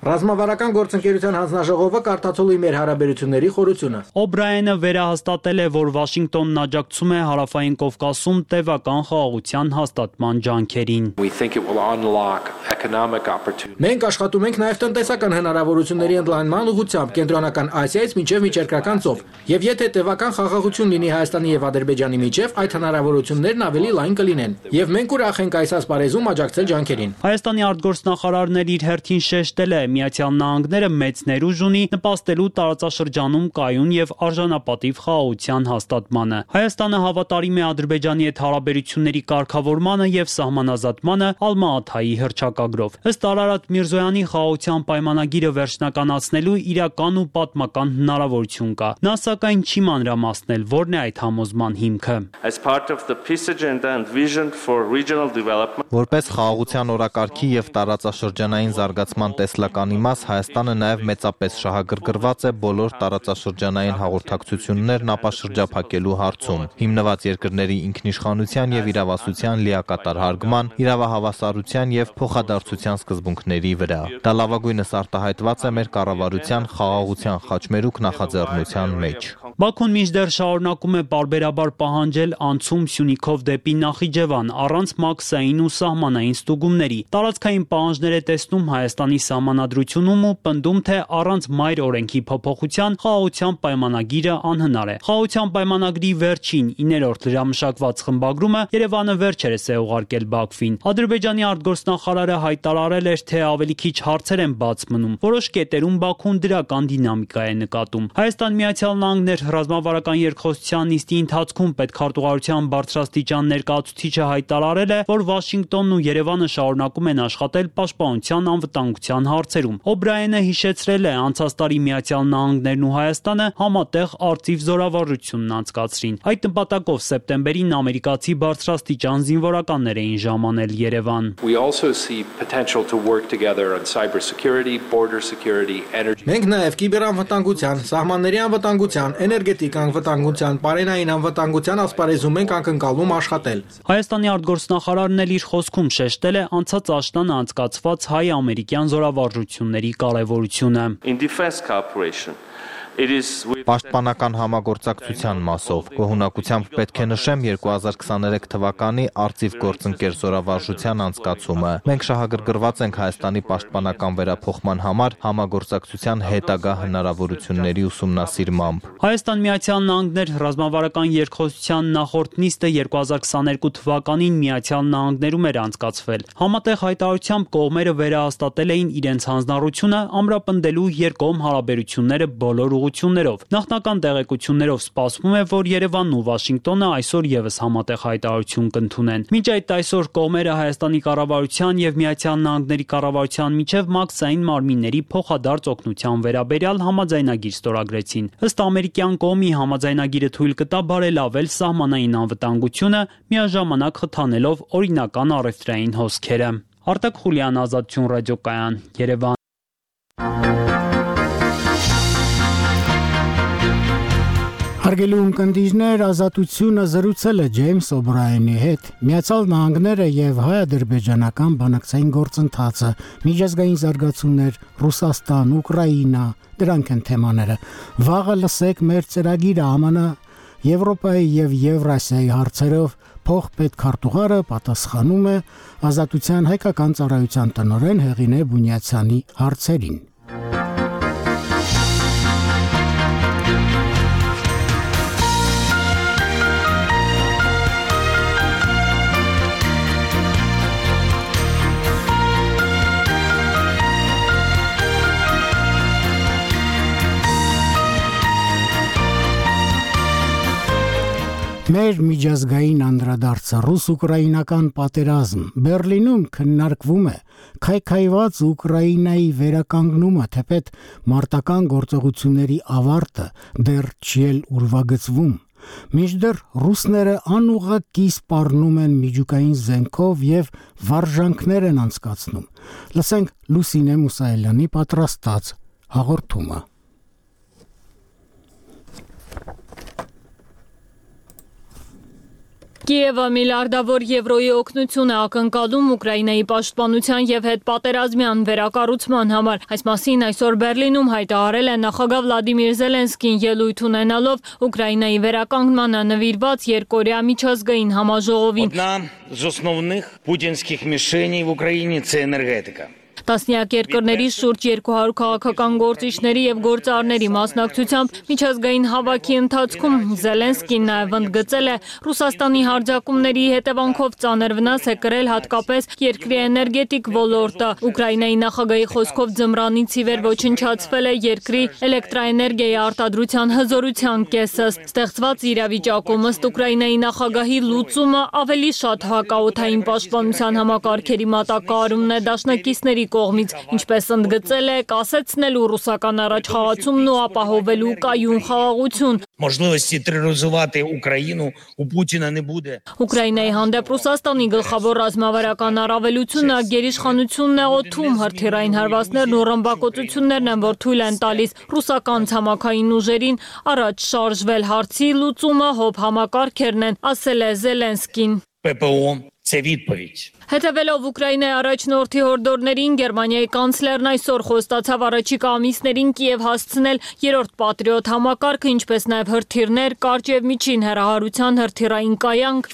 Ռազմավարական գործընկերության հանձնաժողովը կարդացել է մեր հարաբերությունների խորությունը։ Օբրայենը վերահաստատել է, որ Վաշինգտոնն աջակցում է Հարավային Կովկասում տևական խաղաղության հաստատման ջանքերին։ Մենք աշխատում ենք նաև տնտեսական հնարավորությունների ընդլայնման ուղղությամբ կենտրոնական Ասիայից մինչև միջերկրական ծով։ Եվ եթե տևական խաղաղություն լինի Հայաստանի եւ Ադրբեջանի միջև, այդ հնարավորություններն ավելի լայն կլինեն։ Եվ մենք ուրախ ենք այս ասպարեզում աջակցել ջանքերին։ Հայաստանի արտգործնախարարն իր հերթին շեշտել է, Միացյալ Նահանգները մեծ ներուժ ունի նպաստելու տարածաշրջանում կայուն եւ արժանապատիվ խաղաղության հաստատմանը։ Հայաստանը հավատարիմ է Ադրբեջանի հետ հարաբերությունների կարգավորմանը եւ սահմանազատմանը Ալմա-Աթայի հռչակագրով։ Ըստ Արարատ Միրզոյանի խաղաղության պայմանագիրը վերջնականացնելու իրական ու պատմական հնարավորություն կա։ Նա սակայն չի մանրամասնել, որն է այդ համոզման հիմքը։ Որպես խաղաղության օրակարգի եւ տարածաշրջանային զարգացման տեսլականի մաս, Հայաստանը նաեւ մեծապես շահագրգռված է բոլոր տարածաշրջանային հաղորդակցություններն ապաշրջափակելու հարցում, հիմնված երկրների ինքնիշխանության եւ իրավասության լիակատար հարգման, իրավահավասարության եւ փոխադարձության սկզբունքների վրա։ Դա լավագույնս արտահայտված է մեր կառավարության խաղաղության խաչմերուկ նախաձեռնության մեջ։ Բաքուն մինչդեռ շարունակում է պարբերաբար պահանջել անցում Սյունիքով դեպի Նախիջևան առանց մաքսային ու սահմանային ստուգումների։ Տարածքային պահանջներ է տեսնում Հայաստանի սահմանադրությունում ու պնդում, թե առանց մայր օրենքի փոփոխության խաղաղության պայմանագիրը անհնար է։ Խաղաղության պայմանագրի վերջին 9-րդ լրամշակված խմբագրումը Երևանը վերջերս է ուղարկել Բաքվին։ Ադրբեջանի արտգործնախարարը հայտարարել էր, թե ավելի քիչ հարցեր են բաց մնում։ Որոշ կետերում Բաքուն դրական դինամիկա է նկատում։ Հայաստան Միացյալ Նահանգներ ռազմավարական երկխոսության նիստի ընթացքում պետքարտուղարության բարձրաստիճան ներկայացուցիչը հայտարարել է, որ Վաշինգտոնն ու Երևանը շարունակում են աշխատել պաշտպանության անվտանգության հարցերում։ Օբրայենը հիշեցրել է, անցած տարի Միացյալ Նահանգներն ու Հայաստանը համատեղ արծիվ զորավարժությունն անցկացրին։ Այդ նպատակով սեպտեմբերին ամերիկացի բարձրաստիճան զինվորականներ էին ժամանել Երևան։ Մենք նաև կիբերանվտանգության, սահմանների անվտանգության, էներգետիկ անվտանգության, պարենային անվտանգության ասպարեզում ենք ակնկալում աշխատել։ Հայաստանի արտգործնախարարն էլ իր խոսքում շեշտել է անցած աշնանը անցկացված հայ-ամերիկյան զորավարժությունների կարևորությունը։ Պաշտպանական համագործակցության մասով գոհունակությամբ պետք է նշեմ 2023 թվականի արծիվ գործընկեր զորավարժության անցկացումը։ Մենք շահագրգռված ենք Հայաստանի պաշտպանական վերափոխման համար համագործակցության հետագա հնարավորությունների ուսումնասիրմամբ։ Հայաստան Միացյալ Նահանգներ ռազմավարական երկխոսության նախորդ նիստը 2022 թվականին Միացյալ Նահանգներում էր անցկացվել։ Համատեղ հայտարարությամբ կողմերը վերահաստատել էին իրենց հանձնառությունը ամրապնդելու երկկողմ հարաբերությունները բոլոր հաջողություններով։ Նախնական տեղեկություններով սպասվում է, որ Երևանն ու Վաշինգտոնը այսօր եւս համատեղ հայտարարություն կընդունեն։ Մինչ այդ այսօր կողմերը Հայաստանի կառավարության եւ Միացյալ Նահանգների կառավարության միջև մաքսային մարմինների փոխադարձ օգնության վերաբերյալ համաձայնագիր ստորագրեցին։ Ըստ ամերիկյան կողմի համաձայնագիրը թույլ կտա բարելավել սահմանային անվտանգությունը, միաժամանակ խթանելով օրինական առևտրային հոսքերը։ Արտակ Խուլյան, Ազատություն ռադիոկայան, Երևան։ Հարգելի ունկնդիրներ, Ազատությունը զրուցել է Ջեյմս Օբրայենի հետ։ Միացյալ Նահանգները եւ հայ-ադրբեջանական բանակցային գործընթացը, միջազգային զարգացումներ, Ռուսաստան, Ուկրաինա, դրանք են թեմաները։ Վաղը լսեք մեր ծրագիրը ԱՄՆ, Եվրոպայի եւ Եվրասիայի հարցերով փոխպետքարտուղարը պատասխանում է Ազատության հայկական ծառայության տնօրեն Հեղինե Բունյացյանի հարցերին։ Մեր միջազգային անդրադարձը ռուս-ուկրաինական պատերազմ Բերլինում քննարկվում է քայքայված Ուկրաինայի վերականգնումը, թեպետ մարտական գործողությունների ավարտը դեռ չի էլ ուրվագծվում։ Մինչդեռ ռուսները անուղղակի սպառնում են միջուկային զենքով եւ վարժանքներ են անցկացնում։ Լսենք Լուսինե Մուսայելյանի պատրաստած հաղորդումը։ Կիևը միլիարդավոր եվրոյի օգնություն է ակնկալում Ուկրաինայի պաշտպանության եւ հետպատերազմյան վերակառուցման համար։ Այս մասին այսօր Բերլինում հայտարարել է նախագահ Վլադիմիր Զելենսկին ելույթ ունենալով Ուկրաինայի վերականգնմանը նվիրված երկօրյա միջազգային համաժողովին։ Одна з основних путінських мішеней в Україні – це енергетика. Տասնյակ երկրների շուրջ 200 քաղաքական գործիչների եւ գործարարների մասնակցությամբ միջազգային հավաքի ընթացքում Զելենսկին նաեւ ընդգծել է Ռուսաստանի հարձակումների հետևանքով ծանր վնաս է կրել հատկապես երկրի էներգետիկ ոլորտը։ Ուկրաինայի նախագահի խոսքով ձմռանից ի վեր ոչնչացվել է երկրի էլեկտրաէներգիայի արտադրության հզորության կեսը։ Ստեղծված իրավիճակում ըստ Ուկրաինայի նախագահի լուծումը ավելի շատ հակաօդային պաշտպանության համակարգերի մատակարարումն է դաշնակիցների կողմից, ինչպես ընդգծել է, կասեցնելու ռուսական առաջխաղացումն ու ապահովելու կայուն խաղաղություն։ Можливості тероризувати Україну у Путіна не буде. Ուկրաինայի հանդեպ Ռուսաստանի գլխավոր ռազմավարական առավելությունը գերիշխանությունն է օդում, հրթիռային հարվածներն ու ռմբակոծություններն են, որ թույլ են տալիս ռուսական ցամաքային ուժերին առաջ շարժվել։ Հարցի լուծումը հոբ համակարգերն են, ասել է Զելենսկին։ ППО – це відповідь. Հետևելով Ուկրաինայի առաջնորդի հորդորներին, Գերմանիայի կանցլերն այսօր խոստացավ առաջիկա ամիսներին Կիև հասցնել 3-րդ Պատրիոտ համակարգը, ինչպես նաև հրթիռներ, կարճ եւ միջին հեռահարության հրթիռային կայանք։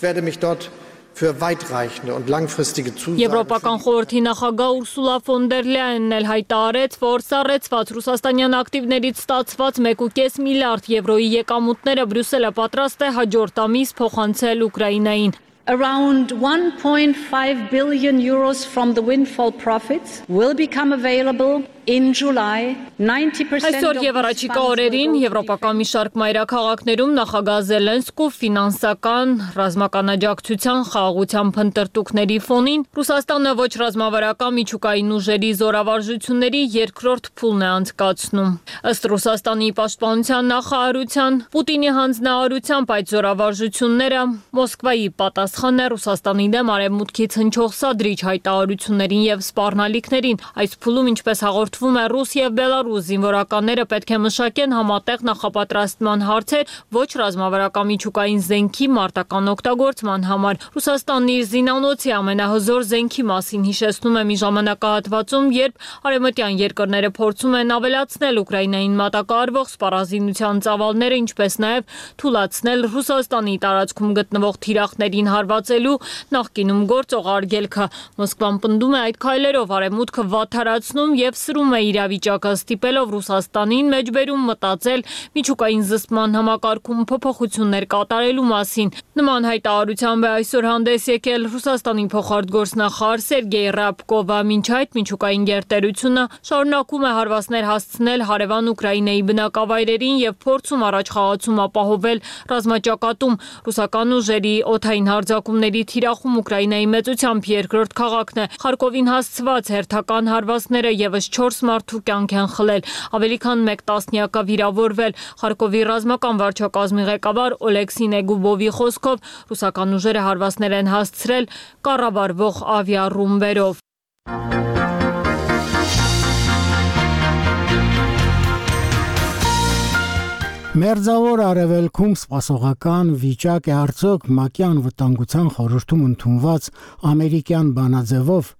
Եվրոպական խորհրդի նախագահ Ուրսուլա ֆոն դեր Լայենն էլ հայտարարեց, որ սառեցված ռուսաստանյան ակտիվներից ստացված 1.5 միլիարդ եվրոյի եկամուտները Բրյուսելը պատրաստ է հաջորդ ամիս փոխանցել Ուկրաինային։ Around 1.5 billion euros from the windfall profits will become available in July. 90% Այսօր եւ առաջիկա օրերին եվրոպական մի շարք մայրաքաղաքներում նախագահ Զելենսկու ֆինանսական ռազմական աջակցության խաղաղության փնտրտուքների ֆոնին Ռուսաստանը ոչ ռազմավարական միջուկային ուժերի զորավարժությունների երկրորդ փուլն է անցկացնում։ Ըստ Ռուսաստանի պաշտպանության նախարարության Պուտինի հանձնարարությամբ այդ զորավարժությունները Մոսկվայի պատասխանն է Ռուսաստանի դեմ արևմուտքից հնչող սադրիչ հայտարարություններին եւ սպառնալիքներին։ Այս փուլում ինչպես հաղորդվում է Ռուս եւ Բելարուս զինվորականները պետք է մշակեն համատեղ նախապատրաստման հարցեր ոչ ռազմավարական միջուկային զենքի մարտական օգտագործման համար։ Ռուսաստանն իր զինանոցի ամենահզոր զենքի մասին հիշեցնում է մի ժամանակահատվածում, երբ արևմտյան երկրները փորձում են ավելացնել Ուկրաինային մատակարարվող սպառազինության ծավալները, ինչպես նաեւ թույլատրել Ռուսաստանի տարածքում գտնվող թիրախներին հարվածելու նախկինում գործող արգելքը։ Մոսկվան պնդում է այդ քայլերով արևմուտքը վատթարացնում եւ սրում նշում է իրավիճակը ստիպելով Ռուսաստանին մեջբերում մտածել միջուկային զսպման համակարգում փոփոխություններ կատարելու մասին։ Նման հայտարարությամբ է այսօր հանդես եկել Ռուսաստանի փոխարտգործնախարար Սերգեյ Ռябկովը, մինչ այդ միջուկային գերտերությունը շարունակում է հարվածներ հասցնել հարևան Ուկրաինայի բնակավայրերին եւ փորձում առաջխաղացում ապահովել ռազմաճակատում։ Ռուսական ուժերի օդային հարձակումների թիրախում Ուկրաինայի մեծությամբ երկրորդ քաղաքն է։ Խարկովին հասցված հերթական հարվածները եւս 4 մարդու կյանք են խլել, ավելի քան 1 տասնյակը վիրավորվել։ Խարկովի ռազմական վարչակազմի ղեկավար Օլեքսի Նեգուբովի խոսքով ռուսական ուժերը հարվածներ են հասցրել կառավարվող ավիառումբերով։ Մերձավոր Արևելքում սպասողական վիճակ է արդյոք ՄԱԿ-ի անվտանգության խորհրդում ընդունված ամերիկյան բանաձևով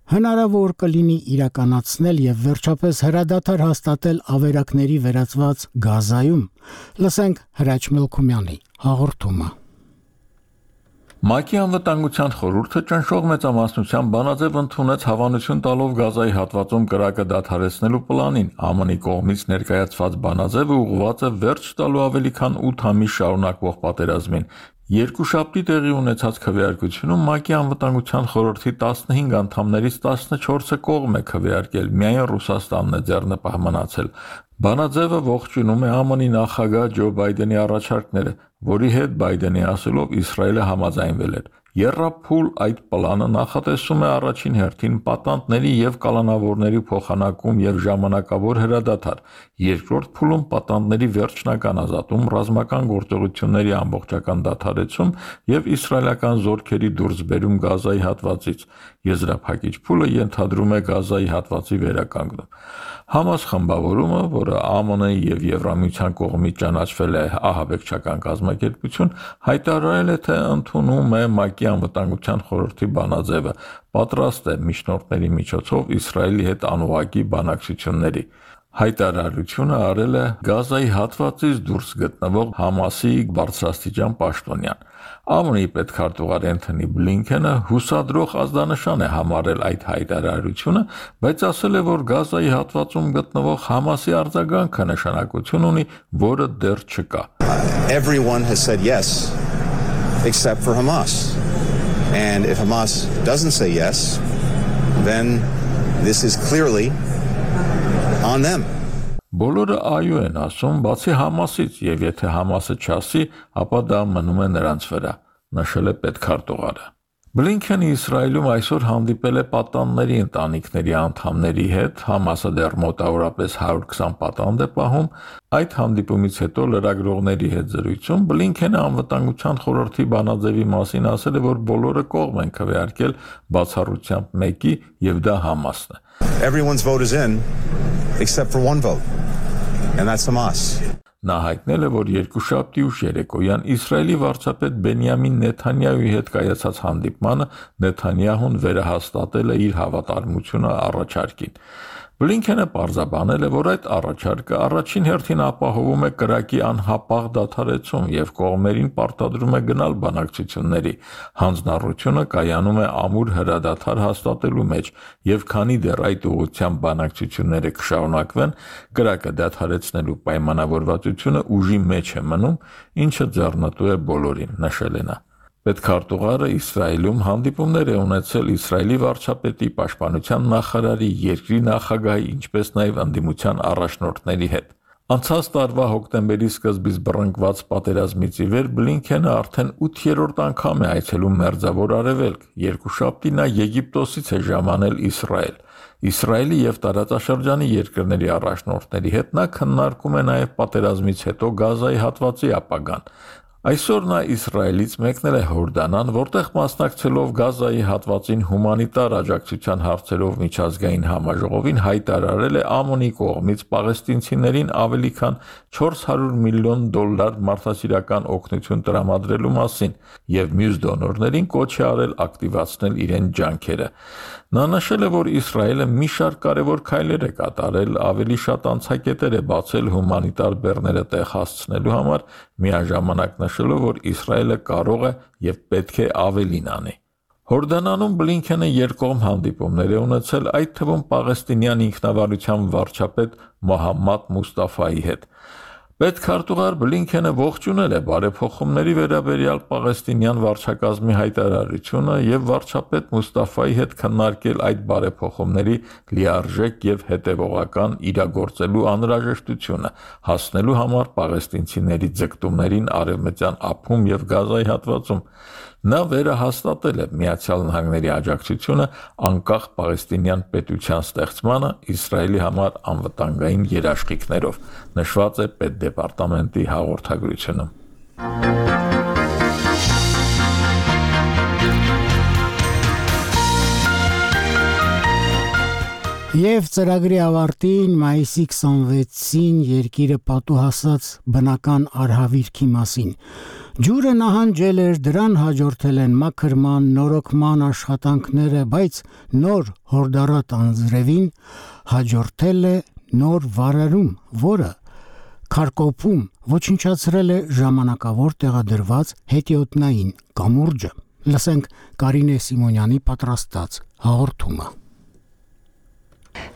հնարավոր կլինի իրականացնել եւ վերջապես հրադադար հաստատել ավերակների վերածված Գազայում։ Լսենք Հրաչ Մելքումյանի հաղորդումը։ ՄԱԿ-ի անվտանգության խորհուրդը ճնշող մեծամասնության բանաձև ընդունեց հավանություն տալով Գազայի հատվածում կրակը դադարեցնելու պլանին։ ԱՄՆ-ի կողմից ներկայացված բանաձևը ուղղված է վերջ տալու ավելի քան 8 ամիս շարունակվող պատերազմին։ Երկուշաբթի տեղի ունեցած քվեարկությունում ՄԱԿ-ի անվտանգության խորհրդի 15 անդամներից 14-ը կողմ է քվեարկել, միայն Ռուսաստանն է ձեռնպահ մնացել։ Բանաձևը ողջունում է ԱՄՆ-ի նախագահ Ջո Բայդենի առաջարկները, որի հետ Բայդենի ասելով Իսրայելը համաձայնվել էր։ Եռափուլ այդ պլանը նախատեսում է առաջին հերթին պատանդների եւ կալանավորների փոխանակում եւ ժամանակավոր հրադադար, երկրորդ փուլում պատանդների վերջնական ազատում, ռազմական գործողությունների ամբողջական դադարեցում եւ իսրայելական զորքերի դուրսբերում Գազայի հատվածից։ Եզրափակիչ փուլը ենթադրում է Գազայի հատվածի վերականգնում։ Համաս խմբավորումը, որը ԱՄՆ-ի եւ Եվրամիության կողմից ճանաչվել է ահաբեկչական կազմակերպություն, հայտարարել է, թե ընդունում է ՄԱԿ-ի անվտանգության խորհրդի բանաձևը, պատրաստ է միջնորդների միջոցով Իսրայելի հետ անուղակի բանակցությունների։ Հայտարարությունը արել է Գազայի հատվածից դուրս գտնվող Համասի բարձրաստիճան պաշտոնյան։ ԱՄՆ-ի պետքարտուղար Էնթոնի Բլինքենը հուսադրող ազդանշան է համարել այդ հայտարարությունը, բայց ասել է, որ Գազայի հատվածում գտնվող Համասի արձագանքը նշանակություն ունի, որը դեռ չկա։ Everyone has said yes except for Hamas. And if Hamas doesn't say yes, then this is clearly on them. Բոլորը այո են ասում, բացի Համասից, եւ եթե Համասը չասի, ապա դա մնում է նրանց վրա, նշել է պետքարտուղարը։ Բլինքենը Իսրայելում այսօր հանդիպել է պատանդների ընտանիքների անդամների հետ, Համասը դեռ մոտավորապես 120 պատանդ է պահում։ Այդ հանդիպումից հետո լրագրողների հետ զրույցում Բլինքենը անվտանգության խորհրդի բանաձևի մասին ասել է, որ բոլորը կողմ են քվեարկել բացառությամբ մեկի, եւ դա Համասն է։ Everyone's vote is in except for one vote. And that's Hamas. Նա հայտնել է, որ երկուշաբթի ուշ երեկոյան Իսրայելի վարչապետ Բենյամին Նեթանյահուի հետ կայացած հանդիպմանը Նեթանյահուն վերահաստատել է իր հավատարմությունը առաջարկին։ Բլինքենը պարզաբանել է, որ այդ առաջարկը առաջին հերթին ապահովում է կրակի անհապաղ դադարեցում եւ կողմերին պարտադրում է գնալ բանակցությունների։ Հանձնառությունը կայանում է ամուր հրադադար հաստատելու մեջ եւ քանի դեռ այդ ուղղությամբ բանակցությունները կշարունակվեն, կրակը դադարեցնելու պայմանավորվածությունը ուժի մեջ է մնում, ինչը ձեռնտու է բոլորին, նշել է նա։ Պետքարտուղարը Իսրայելում հանդիպումներ է ունեցել Իսրայելի վարչապետի, պաշտպանության նախարարի, երկրի նախագահի, ինչպես նաև ընդդիմության առաջնորդների հետ։ Անցած տարվա հոկտեմբերի սկզբից բռնկված պատերազմից ի վեր Բլինքենը արդեն 8-րդ անգամ է այցելում Մերձավոր Արևելք։ Երկուշաբթի նա Եգիպտոսից է ժամանել Իսրայել։ Իսրայելի եւ տարածաշրջանի երկրների առաջնորդների հետ նա քննարկում է նաև պատերազմից հետո Գազայի հատվածի ապագան։ Այսօր նա Իսրայելից մեկնել է Հորդանան, որտեղ մասնակցելով Գազայի հատվածին հումանիտար աջակցության հարցերով միջազգային համաժողովին հայտարարել է ԱՄՆ-ի կողմից պաղեստինցիներին ավելի քան $400 միլիոն մարդասիրական օգնություն տրամադրելու մասին եւ մյուս դոնորներին կոչ է արել ակտիվացնել իրեն ջանքերը։ Նա նշել է, որ Իսրայելը մի շարք կարևոր քայլեր է կատարել, ավելի շատ անցակետեր է բացել հումանիտար բեռները տեղ հասցնելու համար, միաժամանակ նշելով, որ Իսրայելը կարող է եւ պետք է ավելին անի։ Հորդանանում Բլինքենը երկկողմ հանդիպումներ է ունեցել, այդ թվում Պաղեստինյան ինքնավարության վարչապետ Մոհամմադ Մուստաֆայի հետ։ Պետքարտուղար Բլինքենը ողջունել է բարեփոխումների վերաբերյալ Պաղեստինյան վարչակազմի հայտարարությունը եւ վարչապետ Մուստաֆայի հետ քննարկել այդ բարեփոխումների լիարժեք եւ հետեւողական իրագործելու անհրաժեշտությունը, հասնելու համար պաղեստինցիների ձգտումներին Արևմտյան ափում եւ Գազայի հատվածում։ Նա վերահաստատել է Միացյալ Նահանգների աջակցությունը անկախ պաղեստինյան պետության ստեղծմանը Իսրայելի համար անվտանգային երաշխիքներով, նշված է պետդեպարտամենտի հաղորդագրությունում։ Եվ ծրագրի ավարտին մայիսի 26-ին երկիրը պատուհասած բնական արհավիրքի մասին։ Ջուրը նահանջել էր, դրան հաջորդել են մաքրման, նորոգման աշխատանքները, բայց նոր հորդառատ անձրևին հաջորդել է նոր վարարում, որը Քարկոփում ոչնչացրել է ժամանակավոր տեղադրված հետիոտնային կամուրջը։ Լսենք Կարինե Սիմոնյանի պատրաստած հաղորդումը։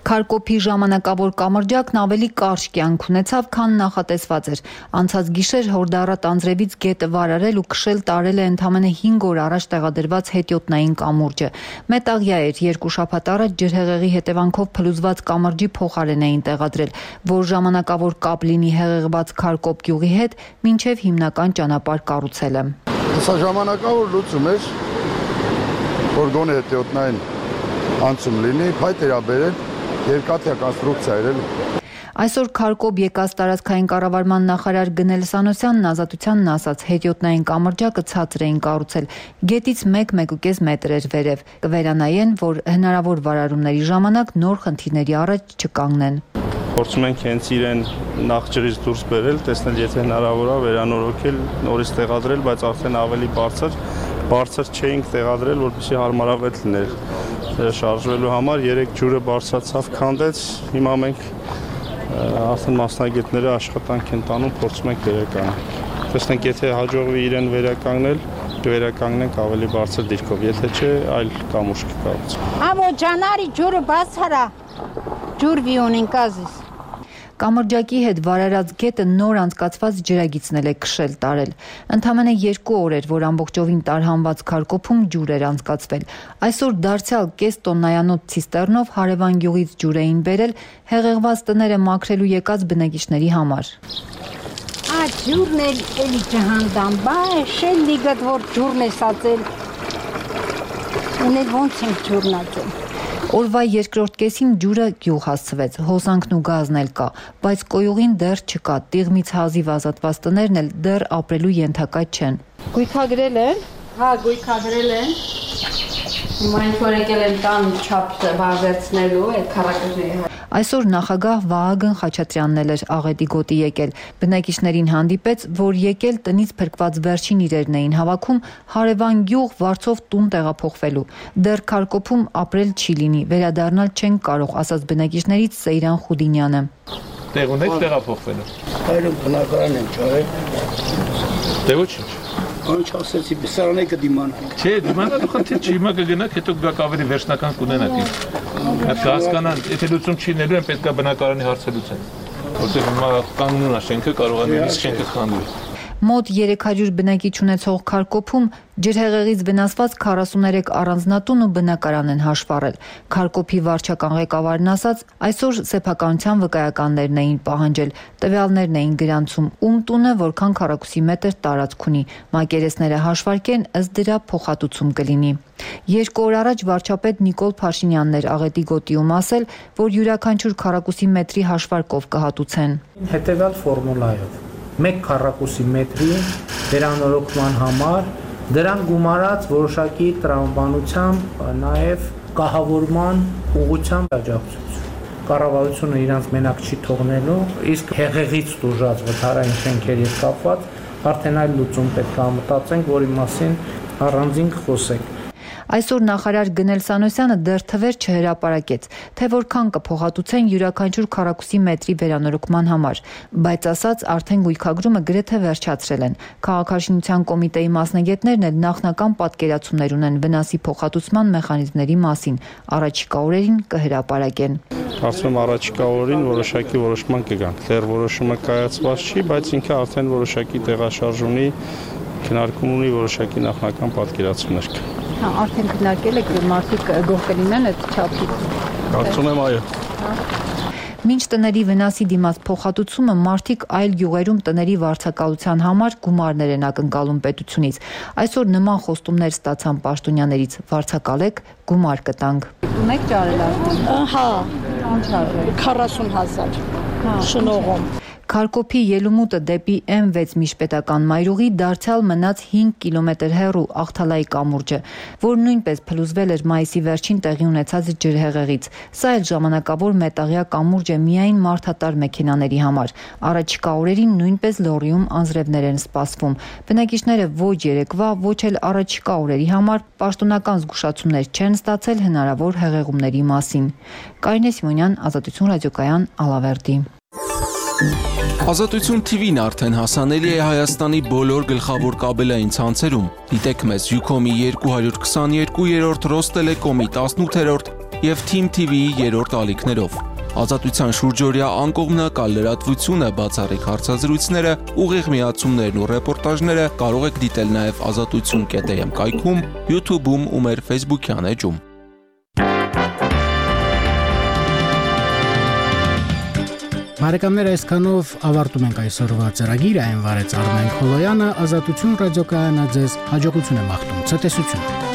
Քարկոփի ժամանակավոր կամրջակն ավելի կարճ կյանք ունեցավ, քան նախատեսված էր։ Անցած գիշեր հորդառատ անձրևից գետը վարարել ու քշել տարել է ընդամենը 5 օր առաջ տեղադրված հետիոտնային կամուրջը։ Մետաղյա էր, 2 շաբաթ առաջ ջրհեղեղի հետևանքով փլուզված կամրջի փոխարեն էին տեղադրել, որ ժամանակավոր կապ լինի հեղեղված Քարկոփ գյուղի հետ, մինչև հիմնական ճանապարհ կառուցելը։ Սա ժամանակավոր լուծում էր, որ գոնե հետիոտնային անցում լինի, փայտ էր բերել երկաթյա կոնստրուկցիա էր։ Այսօր Քարկոփ եկած տարածքային կառավարման նախարար Գնել Սանոսյանն ազատությանն ասաց, հետիոտնային կամրջակը ցածր էին կառուցել, գետից 1-1.5 մետր էր վերև, կվերանայեն, որ հնարավոր վարարումների ժամանակ նոր խնդիրների առաջ չկանգնեն։ Փորձում ենք հենց իրեն նախ ջրից դուրս բերել, տեսնել եթե հնարավոր է վերանորոգել, նորից տեղադրել, բայց արդեն ավելի բարձր չէինք տեղադրել, որպեսզի հարմարավետ լիներ շարժվելու համար։ 3 ջուրը բարձրացավ, քանդեց, հիմա մենք արդեն մասնագետները աշխատանք են տանում, փորձում ենք վերականգնել։ Տեսնենք, եթե հաջողվի իրեն վերականգնել, կվերականգնենք ավելի բարձր դիրքով, եթե չէ, այլ կամուրջ կկառուցենք։ Ամո ջանարի ջուրը բացարա, ջուր վիոնին կազիս։ Կամրջակի հետ վարարած գետը նոր անցկացված ջրագիծն է քշել տարել։ Ընդամենը 2 օր էր, որ ամբողջովին տարհանված Քարկոփում ջուր էր անցկացվել։ Այսօր դարձյալ կես տոննայանոց ցիստեռնով հարևան գյուղից ջուր էին բերել հեղեղված տները մաքրելու եկած բնակիչների համար։ Ջուրն էլի ջհանդամ, բա շել լիգդ որ ջուրն է սածել։ Ունել ոնց ենք ջուրն ածել։ Օրվա երկրորդ կեսին ջուրը գյուղ հասցվեց, հոսանքն ու գազն էլ կա, բայց կոյուղին դեռ չկա, տիղմից հազիվ ազատված տներն էլ դեռ ապրելու ենթակա չեն։ Գույքագրել են։ Հա, գույքագրել են։ Մանք որ եկել են տան չափը բարձրացնելու այդ քառակուսի։ Այսօր նախագահ Վահագն Խաչատրյանն էր Աղետի գոտի եկել։ Բնակիչներին հանդիպեց, որ եկել տնից փրկված վերջին իրերն էին հավաքում հարևան գյուղ Վարչով տուն տեղափոխվելու։ Դեռ Քարկոփում ապրել չի լինի, վերադառնալ չեն կարող, ասաց բնակիչներից Սեյրան Խուդինյանը։ Տեղ ունեք տեղափոխվելու։ Այո, բնակարան եմ ճարել։ Դե ոչինչ։ Անչ ասեցի, բեսարանե կդիմանանք։ Չէ, դիմանալու խնդիր չի, հիմա կգնաք, հետո գաք ավելի վերջնական կունենաք։ Այդ հասկանան, եթե լուծում չի նելու, պետք է բնակարանի հարցը լուծեն։ Որտեղ հիմա կանգնուն է շենքը, կարող է նույնիսկ շենքը խանգարել։ Մոտ 300 բնակիչ ունեցող Քարկոփում ջրհեղեղից վնասված 43 առանձնատուն ու բնակարան են հաշվառել։ Քարկոփի վարչական ղեկավարն ասաց, այսօր սեփականության վկայականներն էին պահանջել, տվյալներն էին գրանցում, ում տունը որքան քառակուսի մետր տարածք ունի, մակերեսները հաշվարկեն, ըստ դրա փոխհատուցում կլինի։ 2 օր առաջ վարչապետ Նիկոլ Փաշինյանն էր Աղետի գոտիում ասել, որ յուրաքանչյուր քառակուսի մետրի հաշվարկով կհատուցեն։ Հետևյալ ֆորմուլայով 1 քառակուսի մետրի վերանորոգման համար դրան գումարած որոշակի տրամաբանությամբ նաև կահավորման ուղղությամբ աջակցություն։ Կառավարությունը իրանց մենակ չի թողնելու, իսկ հեղեղից տուժած վթարային շենքերի հետ կապված արդեն այլ լուծում պետք է մտածենք, որի մասին առանձին խոսենք։ Այսօր նախարար Գնել Սանոսյանը դեռ թվեր չհրապարակեց, թե որքան կփոխհատուցեն յուրաքանչյուր քառակուսի մետրի վերանորոգման համար, բայց ասաց արդեն գույքագրումը գրեթե վերջացրել են։ Քաղաքաշինության կոմիտեի մասնագետներն էլ նախնական պատկերացումներ ունեն վնասի փոխհատուցման մեխանիզմների մասին, առաջիկա օրերին կհրապարակեն։ Կարծում եմ առաջիկա օրերին որոշակի որոշման կգան։ Դեռ որոշումը կայացված չի, բայց ինքը արդեն որոշակի տեղաշարժ ունի, քննարկում ունի որոշակի նախնական պատկերացումներ կա։ Հա, արդեն քննարկել եք, մարդիկ գող կլինեն այդ չափից։ Կարծում եմ այո։ Մինչ տների վնասի դիմաց փոխհատուցումը մարդիկ այլ գյուղերում տների վարձակալության համար գումարներ են ակնկալում պետությունից։ Այսօր նման խոստումներ ստացան պաշտոնյաներից, վարձակալեք, գումար կտանք։ Ունեք ճարել արդեն։ Հա, Ինչ արել։ 40,000 շնողում։ Քարկոփի ելումուտը դեպի M6 միջպետական մայրուղի դարձյալ մնաց 5 կիլոմետր հեռու Աղթալայի կամուրջը, որ նույնպես փլուզվել էր մայիսի վերջին տեղի ունեցած ջրհեղեղից։ Սա էլ ժամանակավոր մետաղյա կամուրջ է միայն մարդատար մեքենաների համար։ Առաջիկա օրերին նույնպես լոռիում անձրևներ են սպասվում։ Բնակիչները ոչ երեկվա, ոչ էլ առաջիկա օրերի համար պաշտոնական զգուշացումներ չեն ստացել հնարավոր հեղեղումների մասին։ Կարինե Սիմոնյան, Ազատություն ռադիոկայան, Ալավերդի։ Ազատություն TV-ն արդեն հասանելի է Հայաստանի բոլոր գլխավոր կաբելային ցանցերում։ Դիտեք մեզ Ucom-ի 222-րդ, Ռոստելեկոմի 18-րդ եւ Team TV-ի 3-րդ ալիքներով։ Ազատության շուրջօրյա անկողմնակալ լրատվությունը, բացառիկ հարցազրույցները, ուղիղ միացումներն ու ռեպորտաժները կարող եք դիտել նաեւ azatutsun.am կայքում, YouTube-ում ու մեր Facebook-յան էջում։ Բարեկամներ, այսքանով ավարտում ենք այսօրվա ծրագիրը, այն վարեց Արմեն Խոլոյանը, Ազատություն ռադիոկայանը ձեզ հաջողություն է մաղթում, ցտեսություն։